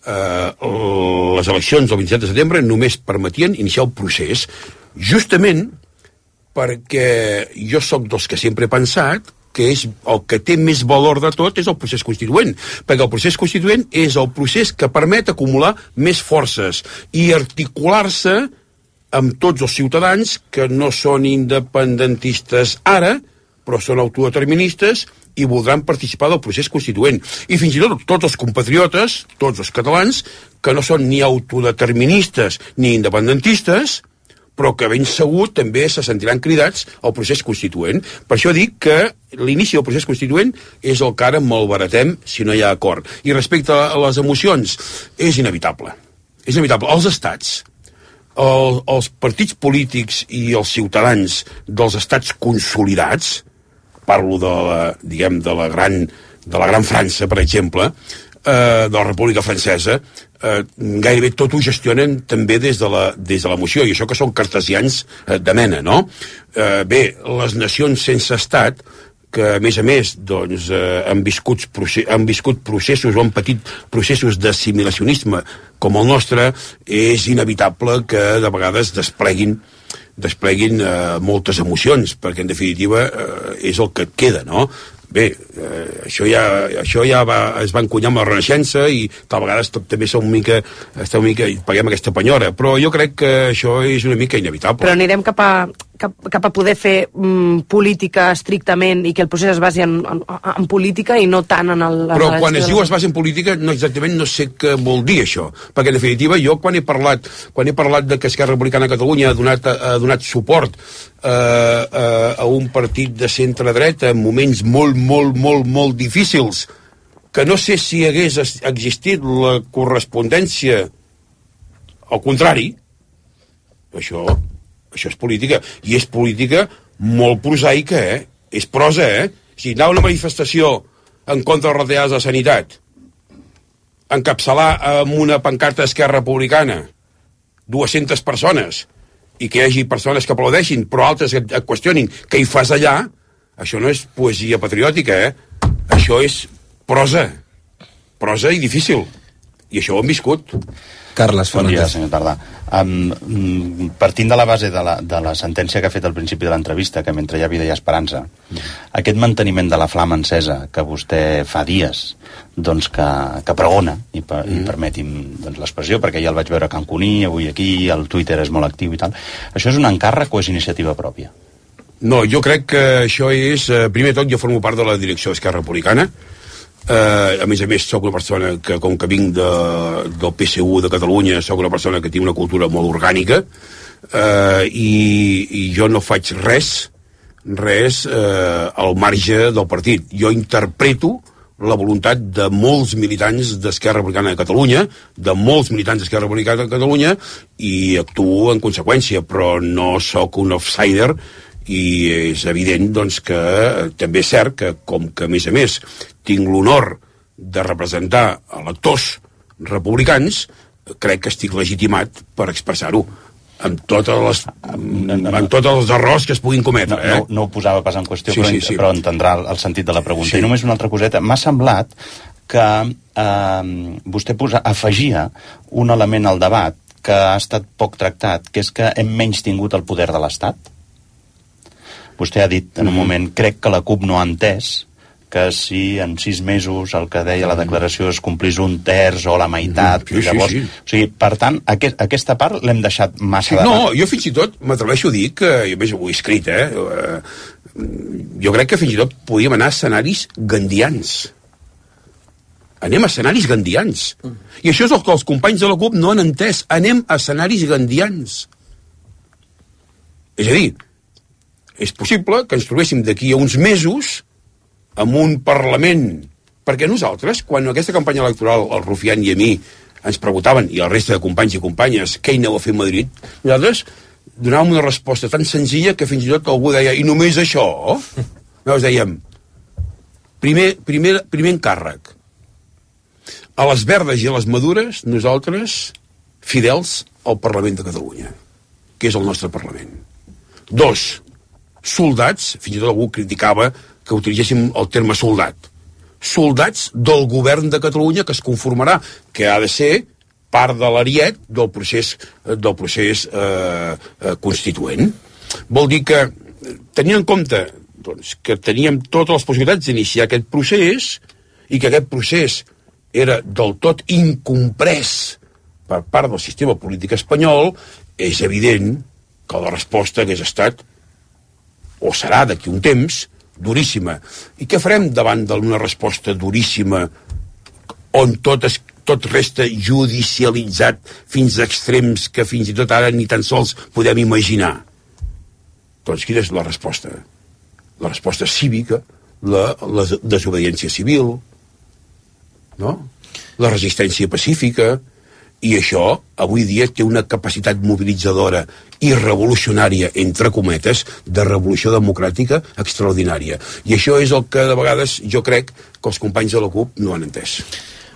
les eleccions del 27 de setembre només permetien iniciar el procés, justament perquè jo sóc dels que sempre he pensat que és el que té més valor de tot és el procés constituent, perquè el procés constituent és el procés que permet acumular més forces i articular-se amb tots els ciutadans que no són independentistes ara, però són autodeterministes i voldran participar del procés constituent. I fins i tot tots els compatriotes, tots els catalans, que no són ni autodeterministes ni independentistes, però que ben segur també se sentiran cridats al procés constituent. Per això dic que l'inici del procés constituent és el que ara malbaratem si no hi ha acord. I respecte a les emocions, és inevitable. És inevitable. Els estats, els partits polítics i els ciutadans dels estats consolidats, parlo de la gran França, per exemple, de la República Francesa, gairebé tot ho gestionen també des de l'emoció, i això que són cartesians de mena, no? Bé, les nacions sense estat, que a més doncs, han viscut processos o han patit processos d'assimilacionisme com el nostre, és inevitable que de vegades despleguin moltes emocions, perquè en definitiva és el que et queda, no? Bé, això ja es va encunyar amb la Renaixença i tal vegades també està una mica paguem aquesta penyora, però jo crec que això és una mica inevitable. Però anirem cap a poder fer política estrictament i que el procés es basi en política i no tant en el... Però quan es diu es basi en política exactament no sé què vol dir això, perquè en definitiva jo quan he parlat de que Esquerra Republicana de Catalunya ha donat suport a un partit de centre-dreta en moments molt difícils, que no sé si hagués existit la correspondència al contrari, això és política, i és política molt prosaica, és prosa, si anar a una manifestació en contra de les retallades de sanitat, encapçalar amb una pancarta d'Esquerra Republicana 200 persones, i que hi hagi persones que aplaudeixin, però altres que et qüestionin què hi fas allà, això no és poesia patriòtica, això és prosa i difícil, i això ho hem viscut. Carles Fernández. Bon dia, senyor Tardà. Partint de la base de la sentència que ha fet al principi de l'entrevista, que mentre hi ha vida hi ha esperança, aquest manteniment de la flama encesa que vostè fa dies doncs que pregona, i permeti'm doncs, l'expressió, perquè ja el vaig veure a Cancuní, avui aquí, el Twitter és molt actiu i tal, això és un encàrrec o és iniciativa pròpia? No, jo crec que això és... primer de tot, jo formo part de la direcció d'Esquerra Republicana. A més, sóc una persona que, com que vinc del PSU de Catalunya, sóc una persona que té una cultura molt orgànica, i jo no faig res al marge del partit. Jo interpreto la voluntat de molts militants d'Esquerra Republicana de Catalunya, i actuo en conseqüència, però no sóc un outsider, i és evident doncs, que també és cert que, com que a més tinc l'honor de representar electors republicans, crec que estic legitimat per expressar-ho amb tots els errors que es puguin cometre. No ho posava pas en qüestió, sí. Però entendrà el sentit de la pregunta. Sí. I només una altra coseta. M'ha semblat que vostè afegia un element al debat que ha estat poc tractat, que és que hem menys tingut el poder de l'Estat. Vostè ha dit en un moment, crec que la CUP no ha entès que si en 6 mesos el que deia la declaració es complís 1/3 o la meitat, llavors... Sí. O sigui, per tant, aquesta part l'hem deixat massa de... No, jo fins i tot m'atreveixo a dir que, jo més ho he escrit, jo crec que fins i tot podíem anar a escenaris gandians. Anem a escenaris gandians. I això és el que els companys de la CUP no han entès. Anem a escenaris gandians. És a dir, és possible que ens trobéssim d'aquí a uns mesos amb un Parlament, perquè nosaltres, quan aquesta campanya electoral el Rufián i a mi ens preguntaven, i la resta de companys i companyes, què hi aneu a fer a Madrid, nosaltres donàvem una resposta tan senzilla que fins i tot algú deia, i només això? Nosaltres dèiem, primer encàrrec. A les verdes i a les madures, nosaltres, fidels al Parlament de Catalunya, que és el nostre Parlament. 2, soldats, fins i tot algú criticava que utilitzéssim el terme soldat. Soldats del govern de Catalunya que es conformarà, que ha de ser part de l'ariet del procés constituent. Vol dir que, tenint en compte doncs, que teníem totes les possibilitats d'iniciar aquest procés i que aquest procés era del tot incomprès per part del sistema polític espanyol, és evident que la resposta hagués estat, o serà d'aquí un temps, duríssima. I què farem davant d'una resposta duríssima on tot resta judicialitzat fins a extrems que fins i tot ara ni tan sols podem imaginar? Doncs quina és la resposta? La resposta cívica, la desobediència civil, no? La resistència pacífica, i això avui dia té una capacitat mobilitzadora i revolucionària, entre cometes, de revolució democràtica extraordinària. I això és el que de vegades jo crec que els companys de la CUP no han entès.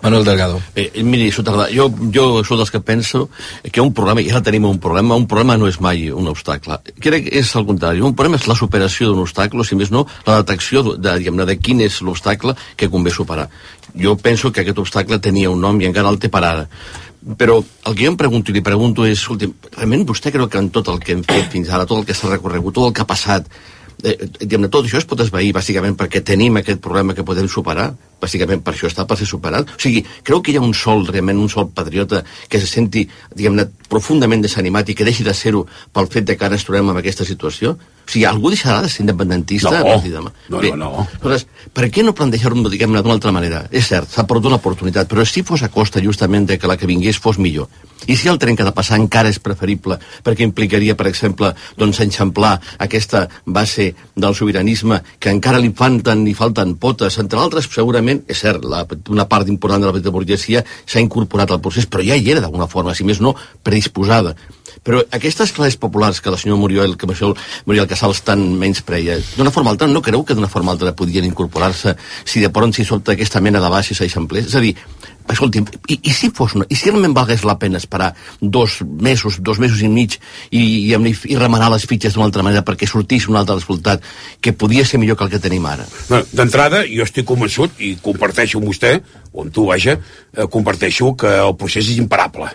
Manuel Delgado. Miri, jo soc dels que penso que un problema, ja tenim un problema no és mai un obstacle. Crec que és el contrari. Un problema és la superació d'un obstacle, si més no, la detecció de quin és l'obstacle que convé superar. Jo penso que aquest obstacle tenia un nom i encara el té per ara. Però el que jo em pregunto i li pregunto és, escolti, realment vostè creu que en tot el que hem fet fins ara, tot el que s'ha recorregut, tot el que ha passat, tot això es pot esvair bàsicament perquè tenim aquest problema que podem superar, bàsicament per això està per ser superat? O sigui, creu que hi ha realment un sol patriota que se senti, profundament desanimat i que deixi de ser-ho pel fet de que ara ens trobem en aquesta situació? O sigui, algú deixarà de ser independentista? No. Aleshores, per què no plantejar-ho, d'una altra manera? És cert, s'ha perdut l'oportunitat, però si fos a costa justament de que la que vingués fos millor. I si el tren que ha de passar encara és preferible, perquè implicaria, per exemple, enxamplar aquesta base del sobiranisme que encara li falten potes, entre altres, segurament, és cert, una part important de la petita burgesia s'ha incorporat al procés, però ja hi era d'alguna forma, si més no, predisposada. Però aquestes classes populars que la senyora Muriel Casals tant menyspreia, d'una forma altra, no creu que d'una forma altra podien incorporar-se si de pronto s'hi solta aquesta mena de baixes eixamplers? És a dir, escolti'm, i si realment valgués la pena esperar 2 mesos i mig i remenar les fitxes d'una altra manera perquè sortís un altre resultat que podia ser millor que el que tenim ara? D'entrada, jo estic convençut, i comparteixo amb vostè, o amb tu, comparteixo que el procés és imparable.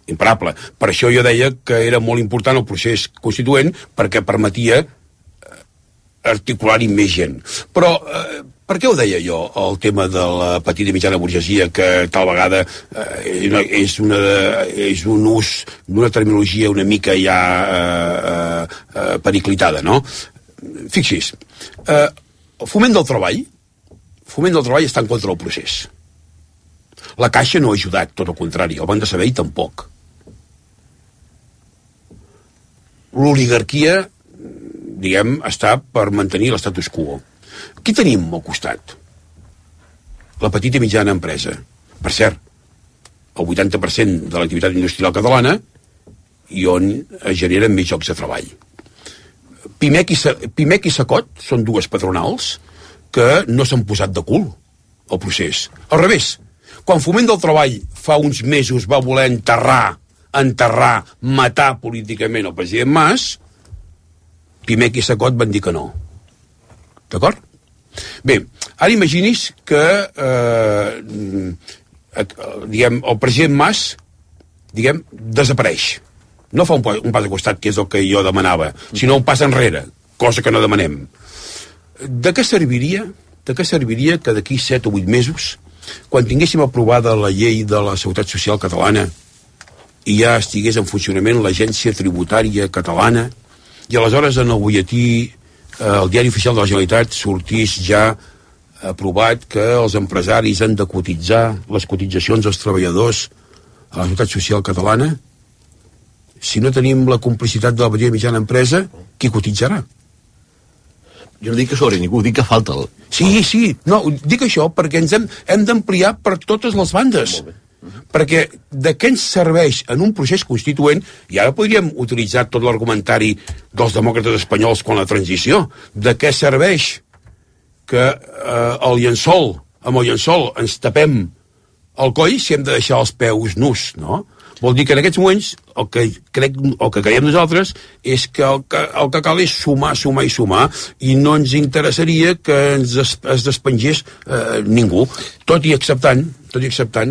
Imparable. Per això jo deia que era molt important el procés constituent perquè permetia articular-hi més gent. Però per què ho deia jo, el tema de la petita i mitjana burgesia, que tal vegada és un ús d'una terminologia una mica ja periclitada, no? fixi's, Foment del Treball està en contra del procés. La Caixa no ha ajudat, tot el contrari, el Banc de Sabadell tampoc. L'oligarquia, diguem, està per mantenir l'estatus quo. Qui tenim al costat? La petita i mitjana empresa. Per cert, el 80% de l'activitat industrial catalana i on es generen més llocs de treball. Pimec i Sacot són dues patronals que no s'han posat de cul al procés. Al revés, quan Foment del Treball fa uns mesos va voler enterrar, matar políticament el president Mas, Pimec i Sacot van dir que no. D'acord? Bé, ara imagini's que el president Mas desapareix. No fa un pas de costat, que és el que jo demanava, sinó un pas enrere, cosa que no demanem. De què serviria que d'aquí 7 o 8 mesos, quan tinguéssim aprovada la llei de la Seguretat Social catalana i ja estigués en funcionament l'Agència Tributària Catalana, i aleshores en el butlletí, el Diari Oficial de la Generalitat, sortís ja aprovat que els empresaris han de cotitzar les cotitzacions dels treballadors a la Seguretat Social Catalana? Si no tenim la complicitat de la petita i mitjana empresa, qui cotitzarà? Jo no dic que sobre ningú, dic que falta el... Sí, no, dic això perquè ens hem d'ampliar per totes les bandes. Perquè de què ens serveix en un procés constituent, i ara podríem utilitzar tot l'argumentari dels demòcrates espanyols quan la transició, de què serveix que amb el llençol ens tapem el coll si hem de deixar els peus nus, no? Vol dir que en aquests moments el que creiem nosaltres és que el que cal és sumar i no ens interessaria que es despengés ningú, tot i acceptant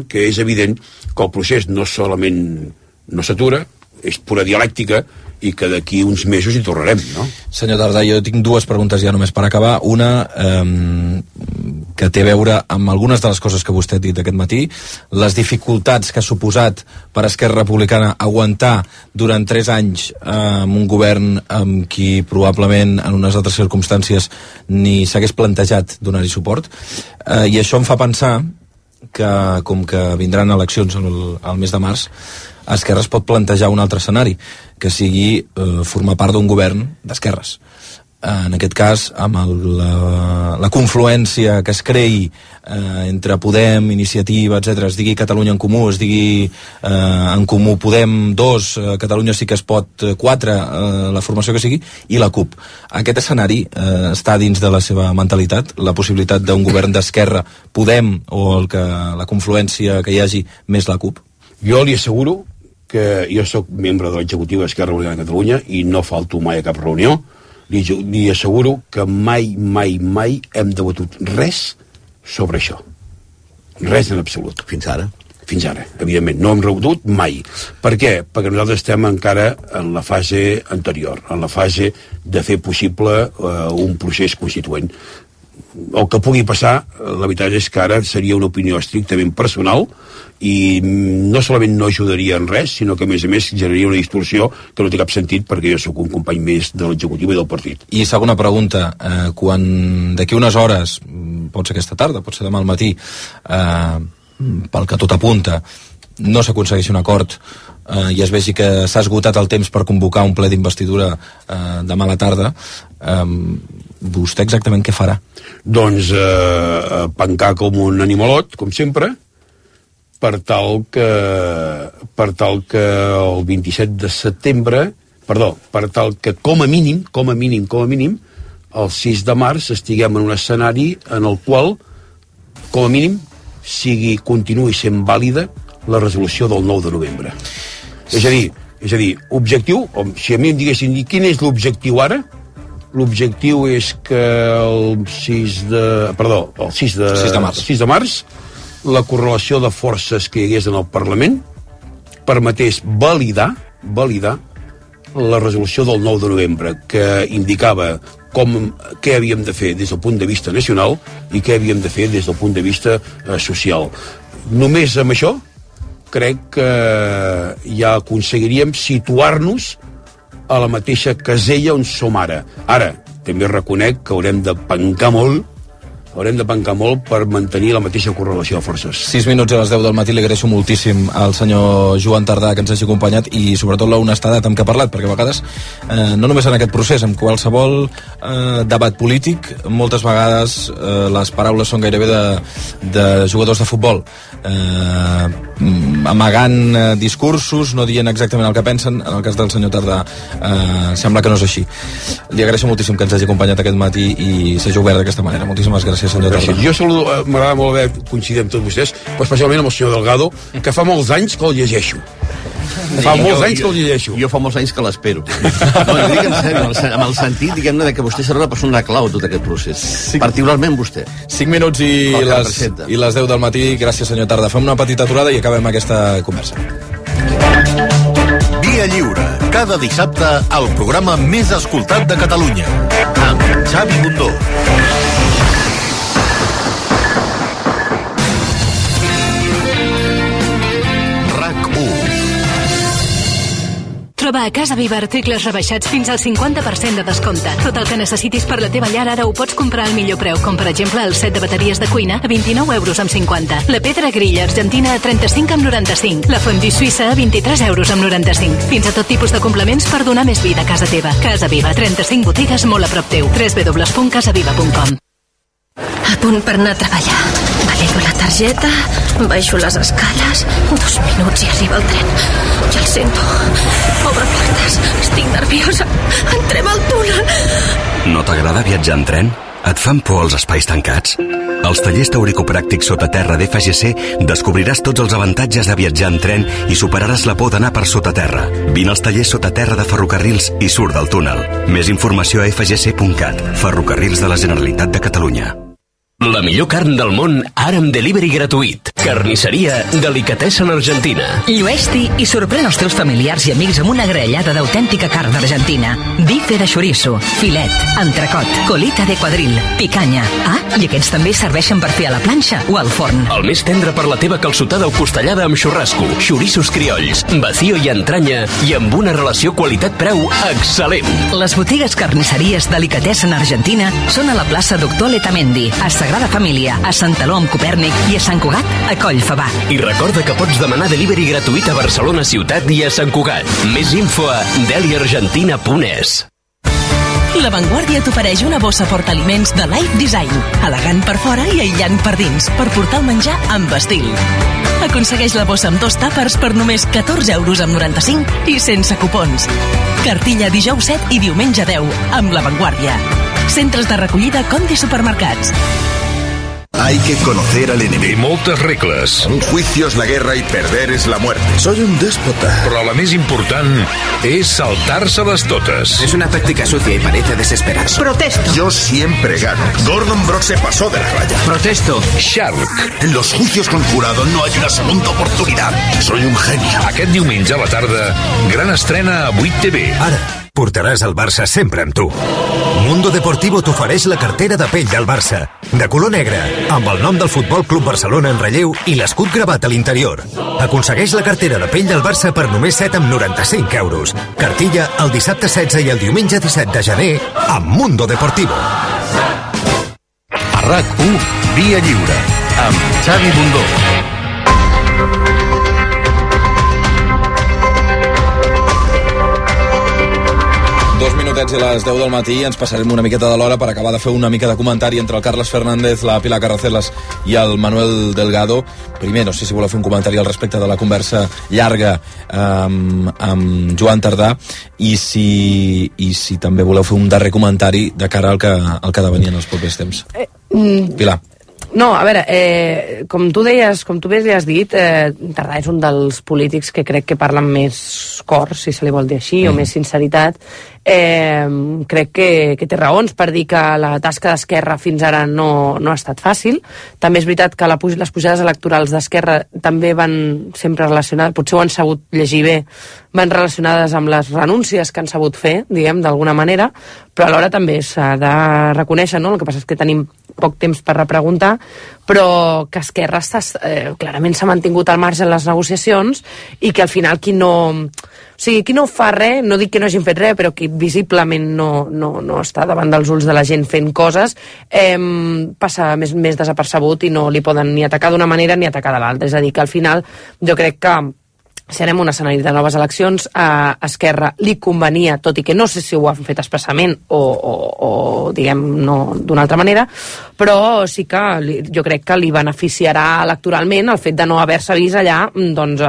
que és evident que el procés no solament no s'atura, és pura dialèctica i que d'aquí uns mesos hi tornarem, no? Senyor Tardà, jo tinc dues preguntes ja només per acabar. Una que té a veure amb algunes de les coses que vostè ha dit aquest matí, les dificultats que ha suposat per Esquerra Republicana aguantar durant 3 anys amb un govern amb qui probablement en unes altres circumstàncies ni s'hagués plantejat donar-hi suport, i això em fa pensar que, com que vindran eleccions al mes de març, Esquerra es pot plantejar un altre escenari, que sigui formar part d'un govern d'esquerres. En aquest cas, amb la confluència que es creï entre Podem, Iniciativa, etc., es digui Catalunya en Comú, es digui en Comú Podem 2, Catalunya sí que es pot 4, la formació que sigui, i la CUP. Aquest escenari està dins de la seva mentalitat, la possibilitat d'un govern d'esquerra Podem o la confluència que hi hagi més la CUP? Jo li asseguro que jo sóc membre de l'executiu d'Esquerra Republicana de Catalunya i no falto mai a cap reunió. Li asseguro que mai hem debatut res sobre això. Res en absolut. Fins ara, evidentment. No hem debatut mai. Per què? Perquè nosaltres estem encara en la fase anterior, en la fase de fer possible un procés constituent. El que pugui passar, la veritat és que ara seria una opinió estrictament personal i no solament no ajudaria en res, sinó que a més generaria una distorsió que no té cap sentit perquè jo sóc un company més de l'executiu i del partit. I segona pregunta, quan d'aquí unes hores, pot ser aquesta tarda, pot ser demà al matí, pel que tot apunta, no s'aconsegueixi un acord i es vegi que s'ha esgotat el temps per convocar un ple d'investidura demà a la tarda, vostè exactament què farà? Doncs pencar com un animalot, com sempre, per tal que el 27 de setembre, per tal que com a mínim, el 6 de març estiguem en un escenari en el qual, com a mínim, continuï sent vàlida la resolució del 9 de novembre. És a dir, objectiu, si a mi em diguessin quin és l'objectiu ara, l'objectiu és que el 6 de març la correlació de forces que hi hagués en el Parlament permetés validar la resolució del 9 de novembre, que indicava què havíem de fer des del punt de vista nacional i què havíem de fer des del punt de vista social. Només amb això crec que ja aconseguiríem situar-nos a la mateixa casella on som ara. Ara, també reconec que haurem de pencar molt per mantenir la mateixa correlació de forces. 6 minuts a les 10 del matí. Li agraeixo moltíssim al senyor Joan Tardà que ens hagi acompanyat i sobretot l'honestedat amb què ha parlat, perquè a vegades, no només en aquest procés, en qualsevol debat polític, moltes vegades les paraules són gairebé de jugadors de futbol, amagant discursos, no dient exactament el que pensen. En el cas del senyor Tardà sembla que no és així. Li agraeixo moltíssim que ens hagi acompanyat aquest matí i s'hagi obert d'aquesta manera. Moltíssimes gràcies, senyor Tardà. Jo saludo, m'agrada molt haver coincidit amb tots vostès, però especialment amb el senyor Delgado, que fa molts anys que el llegeixo. Fa molts anys que el llegeixo. Jo fa molts anys que l'espero. No, jo dic en sèrio, amb el sentit, diguem-ne, que vostè serà una persona clau tot aquest procés. Particularment vostè. 5 minuts i les 10 del matí. Gràcies, senyor Tardà. Fem una petita aturada i acabem aquesta conversa. Via Lliure, cada dissabte el programa més escoltat de Catalunya, amb Xavi Bundó. Troba a Casa Viva articles rebaixats fins al 50% de descompte. Tot el que necessitis per la teva llar ara ho pots comprar al millor preu, com per exemple el set de bateries de cuina a 29,50 €. La pedra grilla argentina a 35,95 €. La fondue suïssa a 23,95 €. Fins a tot tipus de complements per donar més vida a casa teva. Casa Viva, 35 botigues molt a prop teu. www.casaviva.com. A punt per anar a treballar. Valido la targeta, baixo les escales, 2 minuts i arriba el tren. Ja el sento. Obre portes, estic nerviosa. Entrem al túnel. No t'agrada viatjar en tren? Et fan por els espais tancats? Als tallers teoricopràctics sota terra d'FGC descobriràs tots els avantatges de viatjar en tren i superaràs la por d'anar per sota terra. Vine als tallers sota terra de Ferrocarrils i surt del túnel. Més informació a fgc.cat. Ferrocarrils de la Generalitat de Catalunya. La millor carn del món, ara amb delivery gratuït. Carnisseria Delicatessen Argentina. Llueix-t'hi i sorprèn els teus familiars i amics amb una graellada d'autèntica carn d'Argentina. Bife de chorizo, filet, entrecot, colita de quadril, picanya. Ah, i aquests també serveixen per fer a la planxa o al forn. El més tendre per la teva calçotada o costellada amb xurrasco, xorissos criolls, vacío i entranya i amb una relació qualitat-preu excel·lent. Les botigues carnisseries Delicatessen Argentina són a la plaça Doctor Letamendi, a Sagrada Família, a Sant Eló amb Copèrnic i a Sant Cugat, a Collfabà. I recorda que pots demanar delivery gratuït a Barcelona ciutat i a Sant Cugat. Més info a deliargentina.es. La Vanguardia t'ofereix una bossa portaliments de Life Design, elegant per fora i aïllant per dins, per portar el menjar amb estil. Aconsegueix la bossa amb 2 tàpers per només 14,95 € i sense cupons. Cartilla dijous 7 i diumenge 10, amb La Vanguardia. Centres de recollida Conde Supermercats. Hay que conocer al enemigo. Y moltes regles. Un juicio es la guerra y perder es la muerte. Soy un déspota. Però la més important és saltar-se-les totes. Es una táctica sucia y parece desesperado. Protesto. Yo siempre gano. Gordon Brock se pasó de la raya. Protesto. Shark. En los juicios con jurado no hay una segunda oportunidad. Soy un genio. Aquest diumenge a la tarda, gran estrena a 8 TV. Ara, portaràs el Barça sempre amb tu. Mundo Deportivo t'ofereix la cartera de pell del Barça, de color negre, amb el nom del Futbol Club Barcelona en relleu i l'escut gravat a l'interior. Aconsegueix la cartera de pell del Barça per només 7,95 €. Cartilla el dissabte 16 i el diumenge 17 de gener amb Mundo Deportivo. A RAC1, Via Lliure, amb Xavi Bundó. Dos minutets i les 10 del matí. Ens passarem una miqueta de l'hora per acabar de fer una mica de comentari entre el Carles Fernández, la Pilar Carracelas i el Manuel Delgado. Primer, no sé si voleu fer un comentari al respecte de la conversa llarga amb Joan Tardà i si també voleu fer un darrer comentari de cara al que ha de venir en els propers temps. Pilar. No, a veure, com tu deies, com tu bé li has dit, Tardà és un dels polítics que crec que parla amb més cor, si se li vol dir així, o més sinceritat. Crec que té raons per dir que la tasca d'Esquerra fins ara no ha estat fàcil. També és veritat que les pujades electorals d'Esquerra també van sempre relacionades, potser ho han sabut llegir bé, van relacionades amb les renúncies que han sabut fer, diguem, d'alguna manera, però alhora també s'ha de reconèixer, no? El que passa és que tenim poc temps per repreguntar, però que Esquerra clarament s'ha mantingut al marge en les negociacions i que al final qui no... O sigui, qui no fa res, no dic que no hagin fet res, però qui visiblement no està davant dels ulls de la gent fent coses, passa més desapercebut i no li poden ni atacar d'una manera ni atacar de l'altra. És a dir, que al final jo crec que si anem a un escenari de noves eleccions, a Esquerra li convenia, tot i que no sé si ho han fet expressament o diguem, no d'una altra manera, però sí que jo crec que li beneficiarà electoralment el fet de no haver-se vist allà, doncs,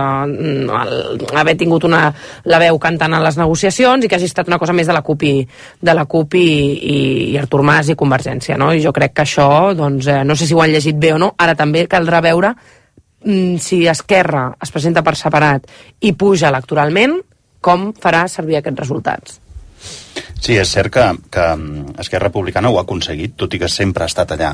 haver tingut la veu cantant en les negociacions i que hagi estat una cosa més de la CUP i Artur Mas i Convergència, no? I jo crec que això, doncs, no sé si ho han llegit bé o no, ara també caldrà veure si Esquerra es presenta per separat i puja electoralment, com farà servir aquests resultats. Sí, és cert que Esquerra Republicana ho ha aconseguit, tot i que sempre ha estat allà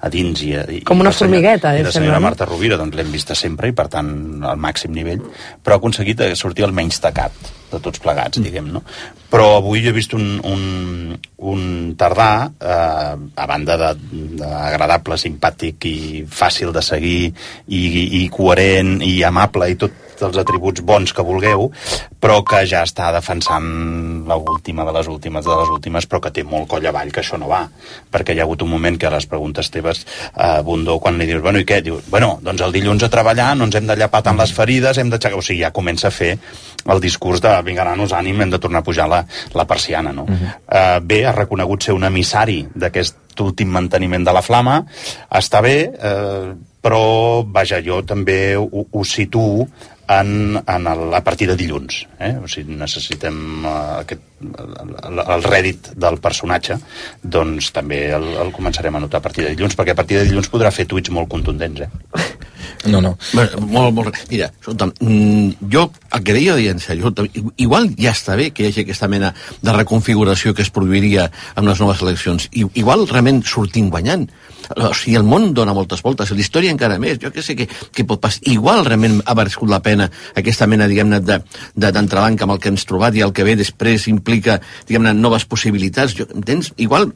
a dins com una formigueta, i la senyora Marta Rovira doncs l'hem vista sempre i per tant al màxim nivell, però ha aconseguit sortir el menys tacat de tots plegats, diguem, no? Però avui jo he vist un Tardà, a banda d'agradable, simpàtic i fàcil de seguir i coherent i amable i tot els atributs bons que vulgueu, però que ja està defensant l'última de les últimes, però que té molt coll avall, que això no va, perquè hi ha hagut un moment que a les preguntes teves, Bundó, quan li dius, bueno, i què? Diu, bueno, doncs el dilluns a treballar, no ens hem de llapar tant les ferides, hem d'aixecar... O sigui, ja comença a fer el discurs de vinga, nanos, ànim, hem de tornar a pujar la persiana, no? Bé, ha reconegut ser un emissari d'aquest últim manteniment de la flama, està bé, però, vaja, jo també ho situo a partir de dilluns, o sigui, necessitem el rèdit del personatge, doncs també el començarem a notar a partir de dilluns, perquè a partir de dilluns podrà fer tuits molt contundents, No. Molt. Mira, escolta'm, jo el que deia en sèrio, igual ja està bé que hi hagi aquesta mena de reconfiguració que es produiria amb les noves eleccions. Igual realment sortim guanyant. O sigui, el món dona moltes voltes, la història encara més, jo què sé què pot passar. Igual realment ha merescut la pena aquesta mena, diguem-ne, d'entrebanc amb el que ens trobat i el que ve després implica, diguem-ne, noves possibilitats. Entens? Igual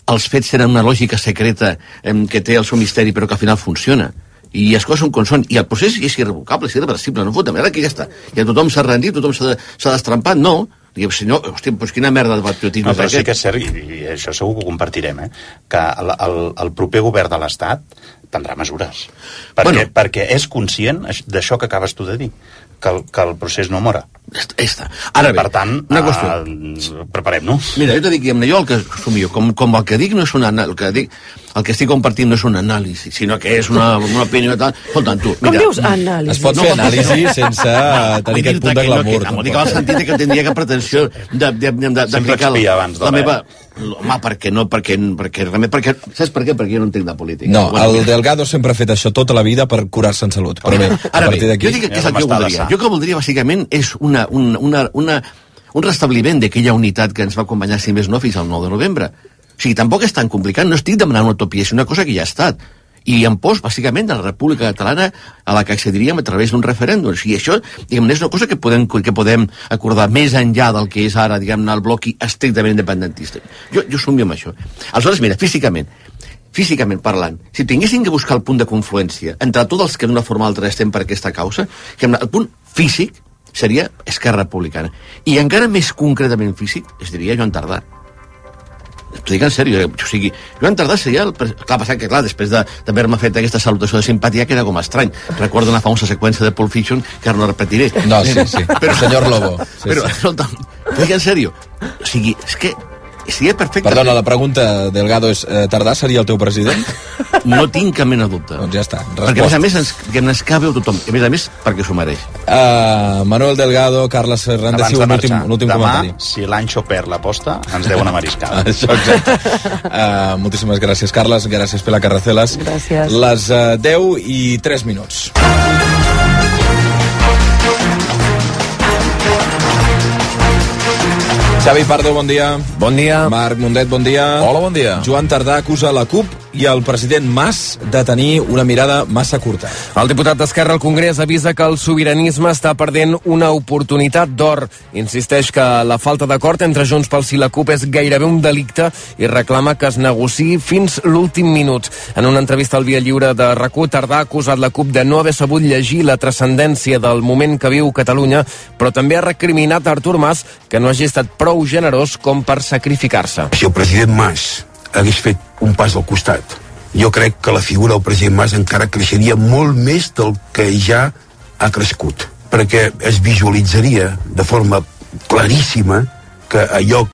els fets tenen una lògica secreta que té el seu misteri però que al final funciona. I les coses són com són. I el procés és irrevocable, és irreversible. No fotem, ara que ja està. Ja tothom s'ha rendit, tothom s'ha destrampat. No. Diguem, senyor, hòstia, doncs quina merda de patriotisme. No, però sí que és cert, i això segur que ho compartirem, que el proper govern de l'Estat prendrà mesures. Perquè és conscient d'això que acabes tu de dir, que el procés no mora. Ara bé, per tant, una qüestió. Preparem-nos. Mira, jo t'he dit, jo el que assumio, com el que dic no és una el que estic compartint no és un anàlisi, sinó que és una opinió tal. Escolta, tu, mira. Com dius anàlisi? Es pot fer anàlisi sense tenir aquest punt de glamour. No dic el sentit que tindria cap pretensió d'aplicar la meva... Home, perquè no, perquè saps per què? Perquè jo no entenc de política. No, el Delgado sempre ha fet això tota la vida per curar-se en salut. Però bé, a partir d'aquí... Jo dic que és el que voldria. Jo que voldria, bàsicament, és un restabliment d'aquella unitat que ens va acompanyar, si més no, fins al 9 de novembre. O sigui, tampoc és tan complicat, no estic demanant una utopia, és una cosa que ja ha estat. I en pos, bàsicament, de la República Catalana a la que accediríem a través d'un referèndum. O sigui, això, diguem-ne, és una cosa que podem acordar més enllà del que és ara, diguem-ne, el bloc estrictament independentista. Jo somio amb això. Aleshores, mira, físicament parlant, si tinguéssim que buscar el punt de confluència entre tots els que d'una forma o altra estem per aquesta causa, el punt físic seria Esquerra Republicana. I encara més concretament físic, es diria Joan Tardà. T'ho dic en sèrio, o sigui, Joan Tardà seria clar, passat que, clar, després d'haver-me fet aquesta salutació de simpatia, que era com estrany. Recordo una famosa seqüència de Pulp Fiction, que ara no repetiré. No, sí, però senyor Lobo. Però, escolta'm, t'ho dic en sèrio, o sigui, és que seria perfecte. Perdona, la pregunta, Delgado, és Tardà seria el teu president? No tinc cap mena de dubte. Doncs ja està, respost. Perquè, a més a més, ens cabe a tothom. I a més, perquè s'ho mereix. Manuel Delgado, Carles Fernández, un últim comentari. Demà, si l'Anxo perd l'aposta, ens deu una mariscada. Això, exacte. Moltíssimes gràcies, Carles. Gràcies, Pilar Carracelas. Gràcies. Les 10:03. Xavi Pardo, bon dia. Bon dia. Marc Mundet, bon dia. Hola, bon dia. Joan Tardà acusa la CUP i el president Mas de tenir una mirada massa curta. El diputat d'Esquerra al Congrés avisa que el sobiranisme està perdent una oportunitat d'or. Insisteix que la falta d'acord entre Junts pel Sí i la CUP és gairebé un delicte i reclama que es negociï fins l'últim minut. En una entrevista al Via Lliure de RAC1, Tardà ha acusat la CUP de no haver sabut llegir la transcendència del moment que viu Catalunya, però també ha recriminat a Artur Mas que no hagi estat prou generós com per sacrificar-se. Si el president Mas hagués fet un pas al costat, jo crec que la figura del president Mas encara creixeria molt més del que ja ha crescut, perquè es visualitzaria de forma claríssima que allò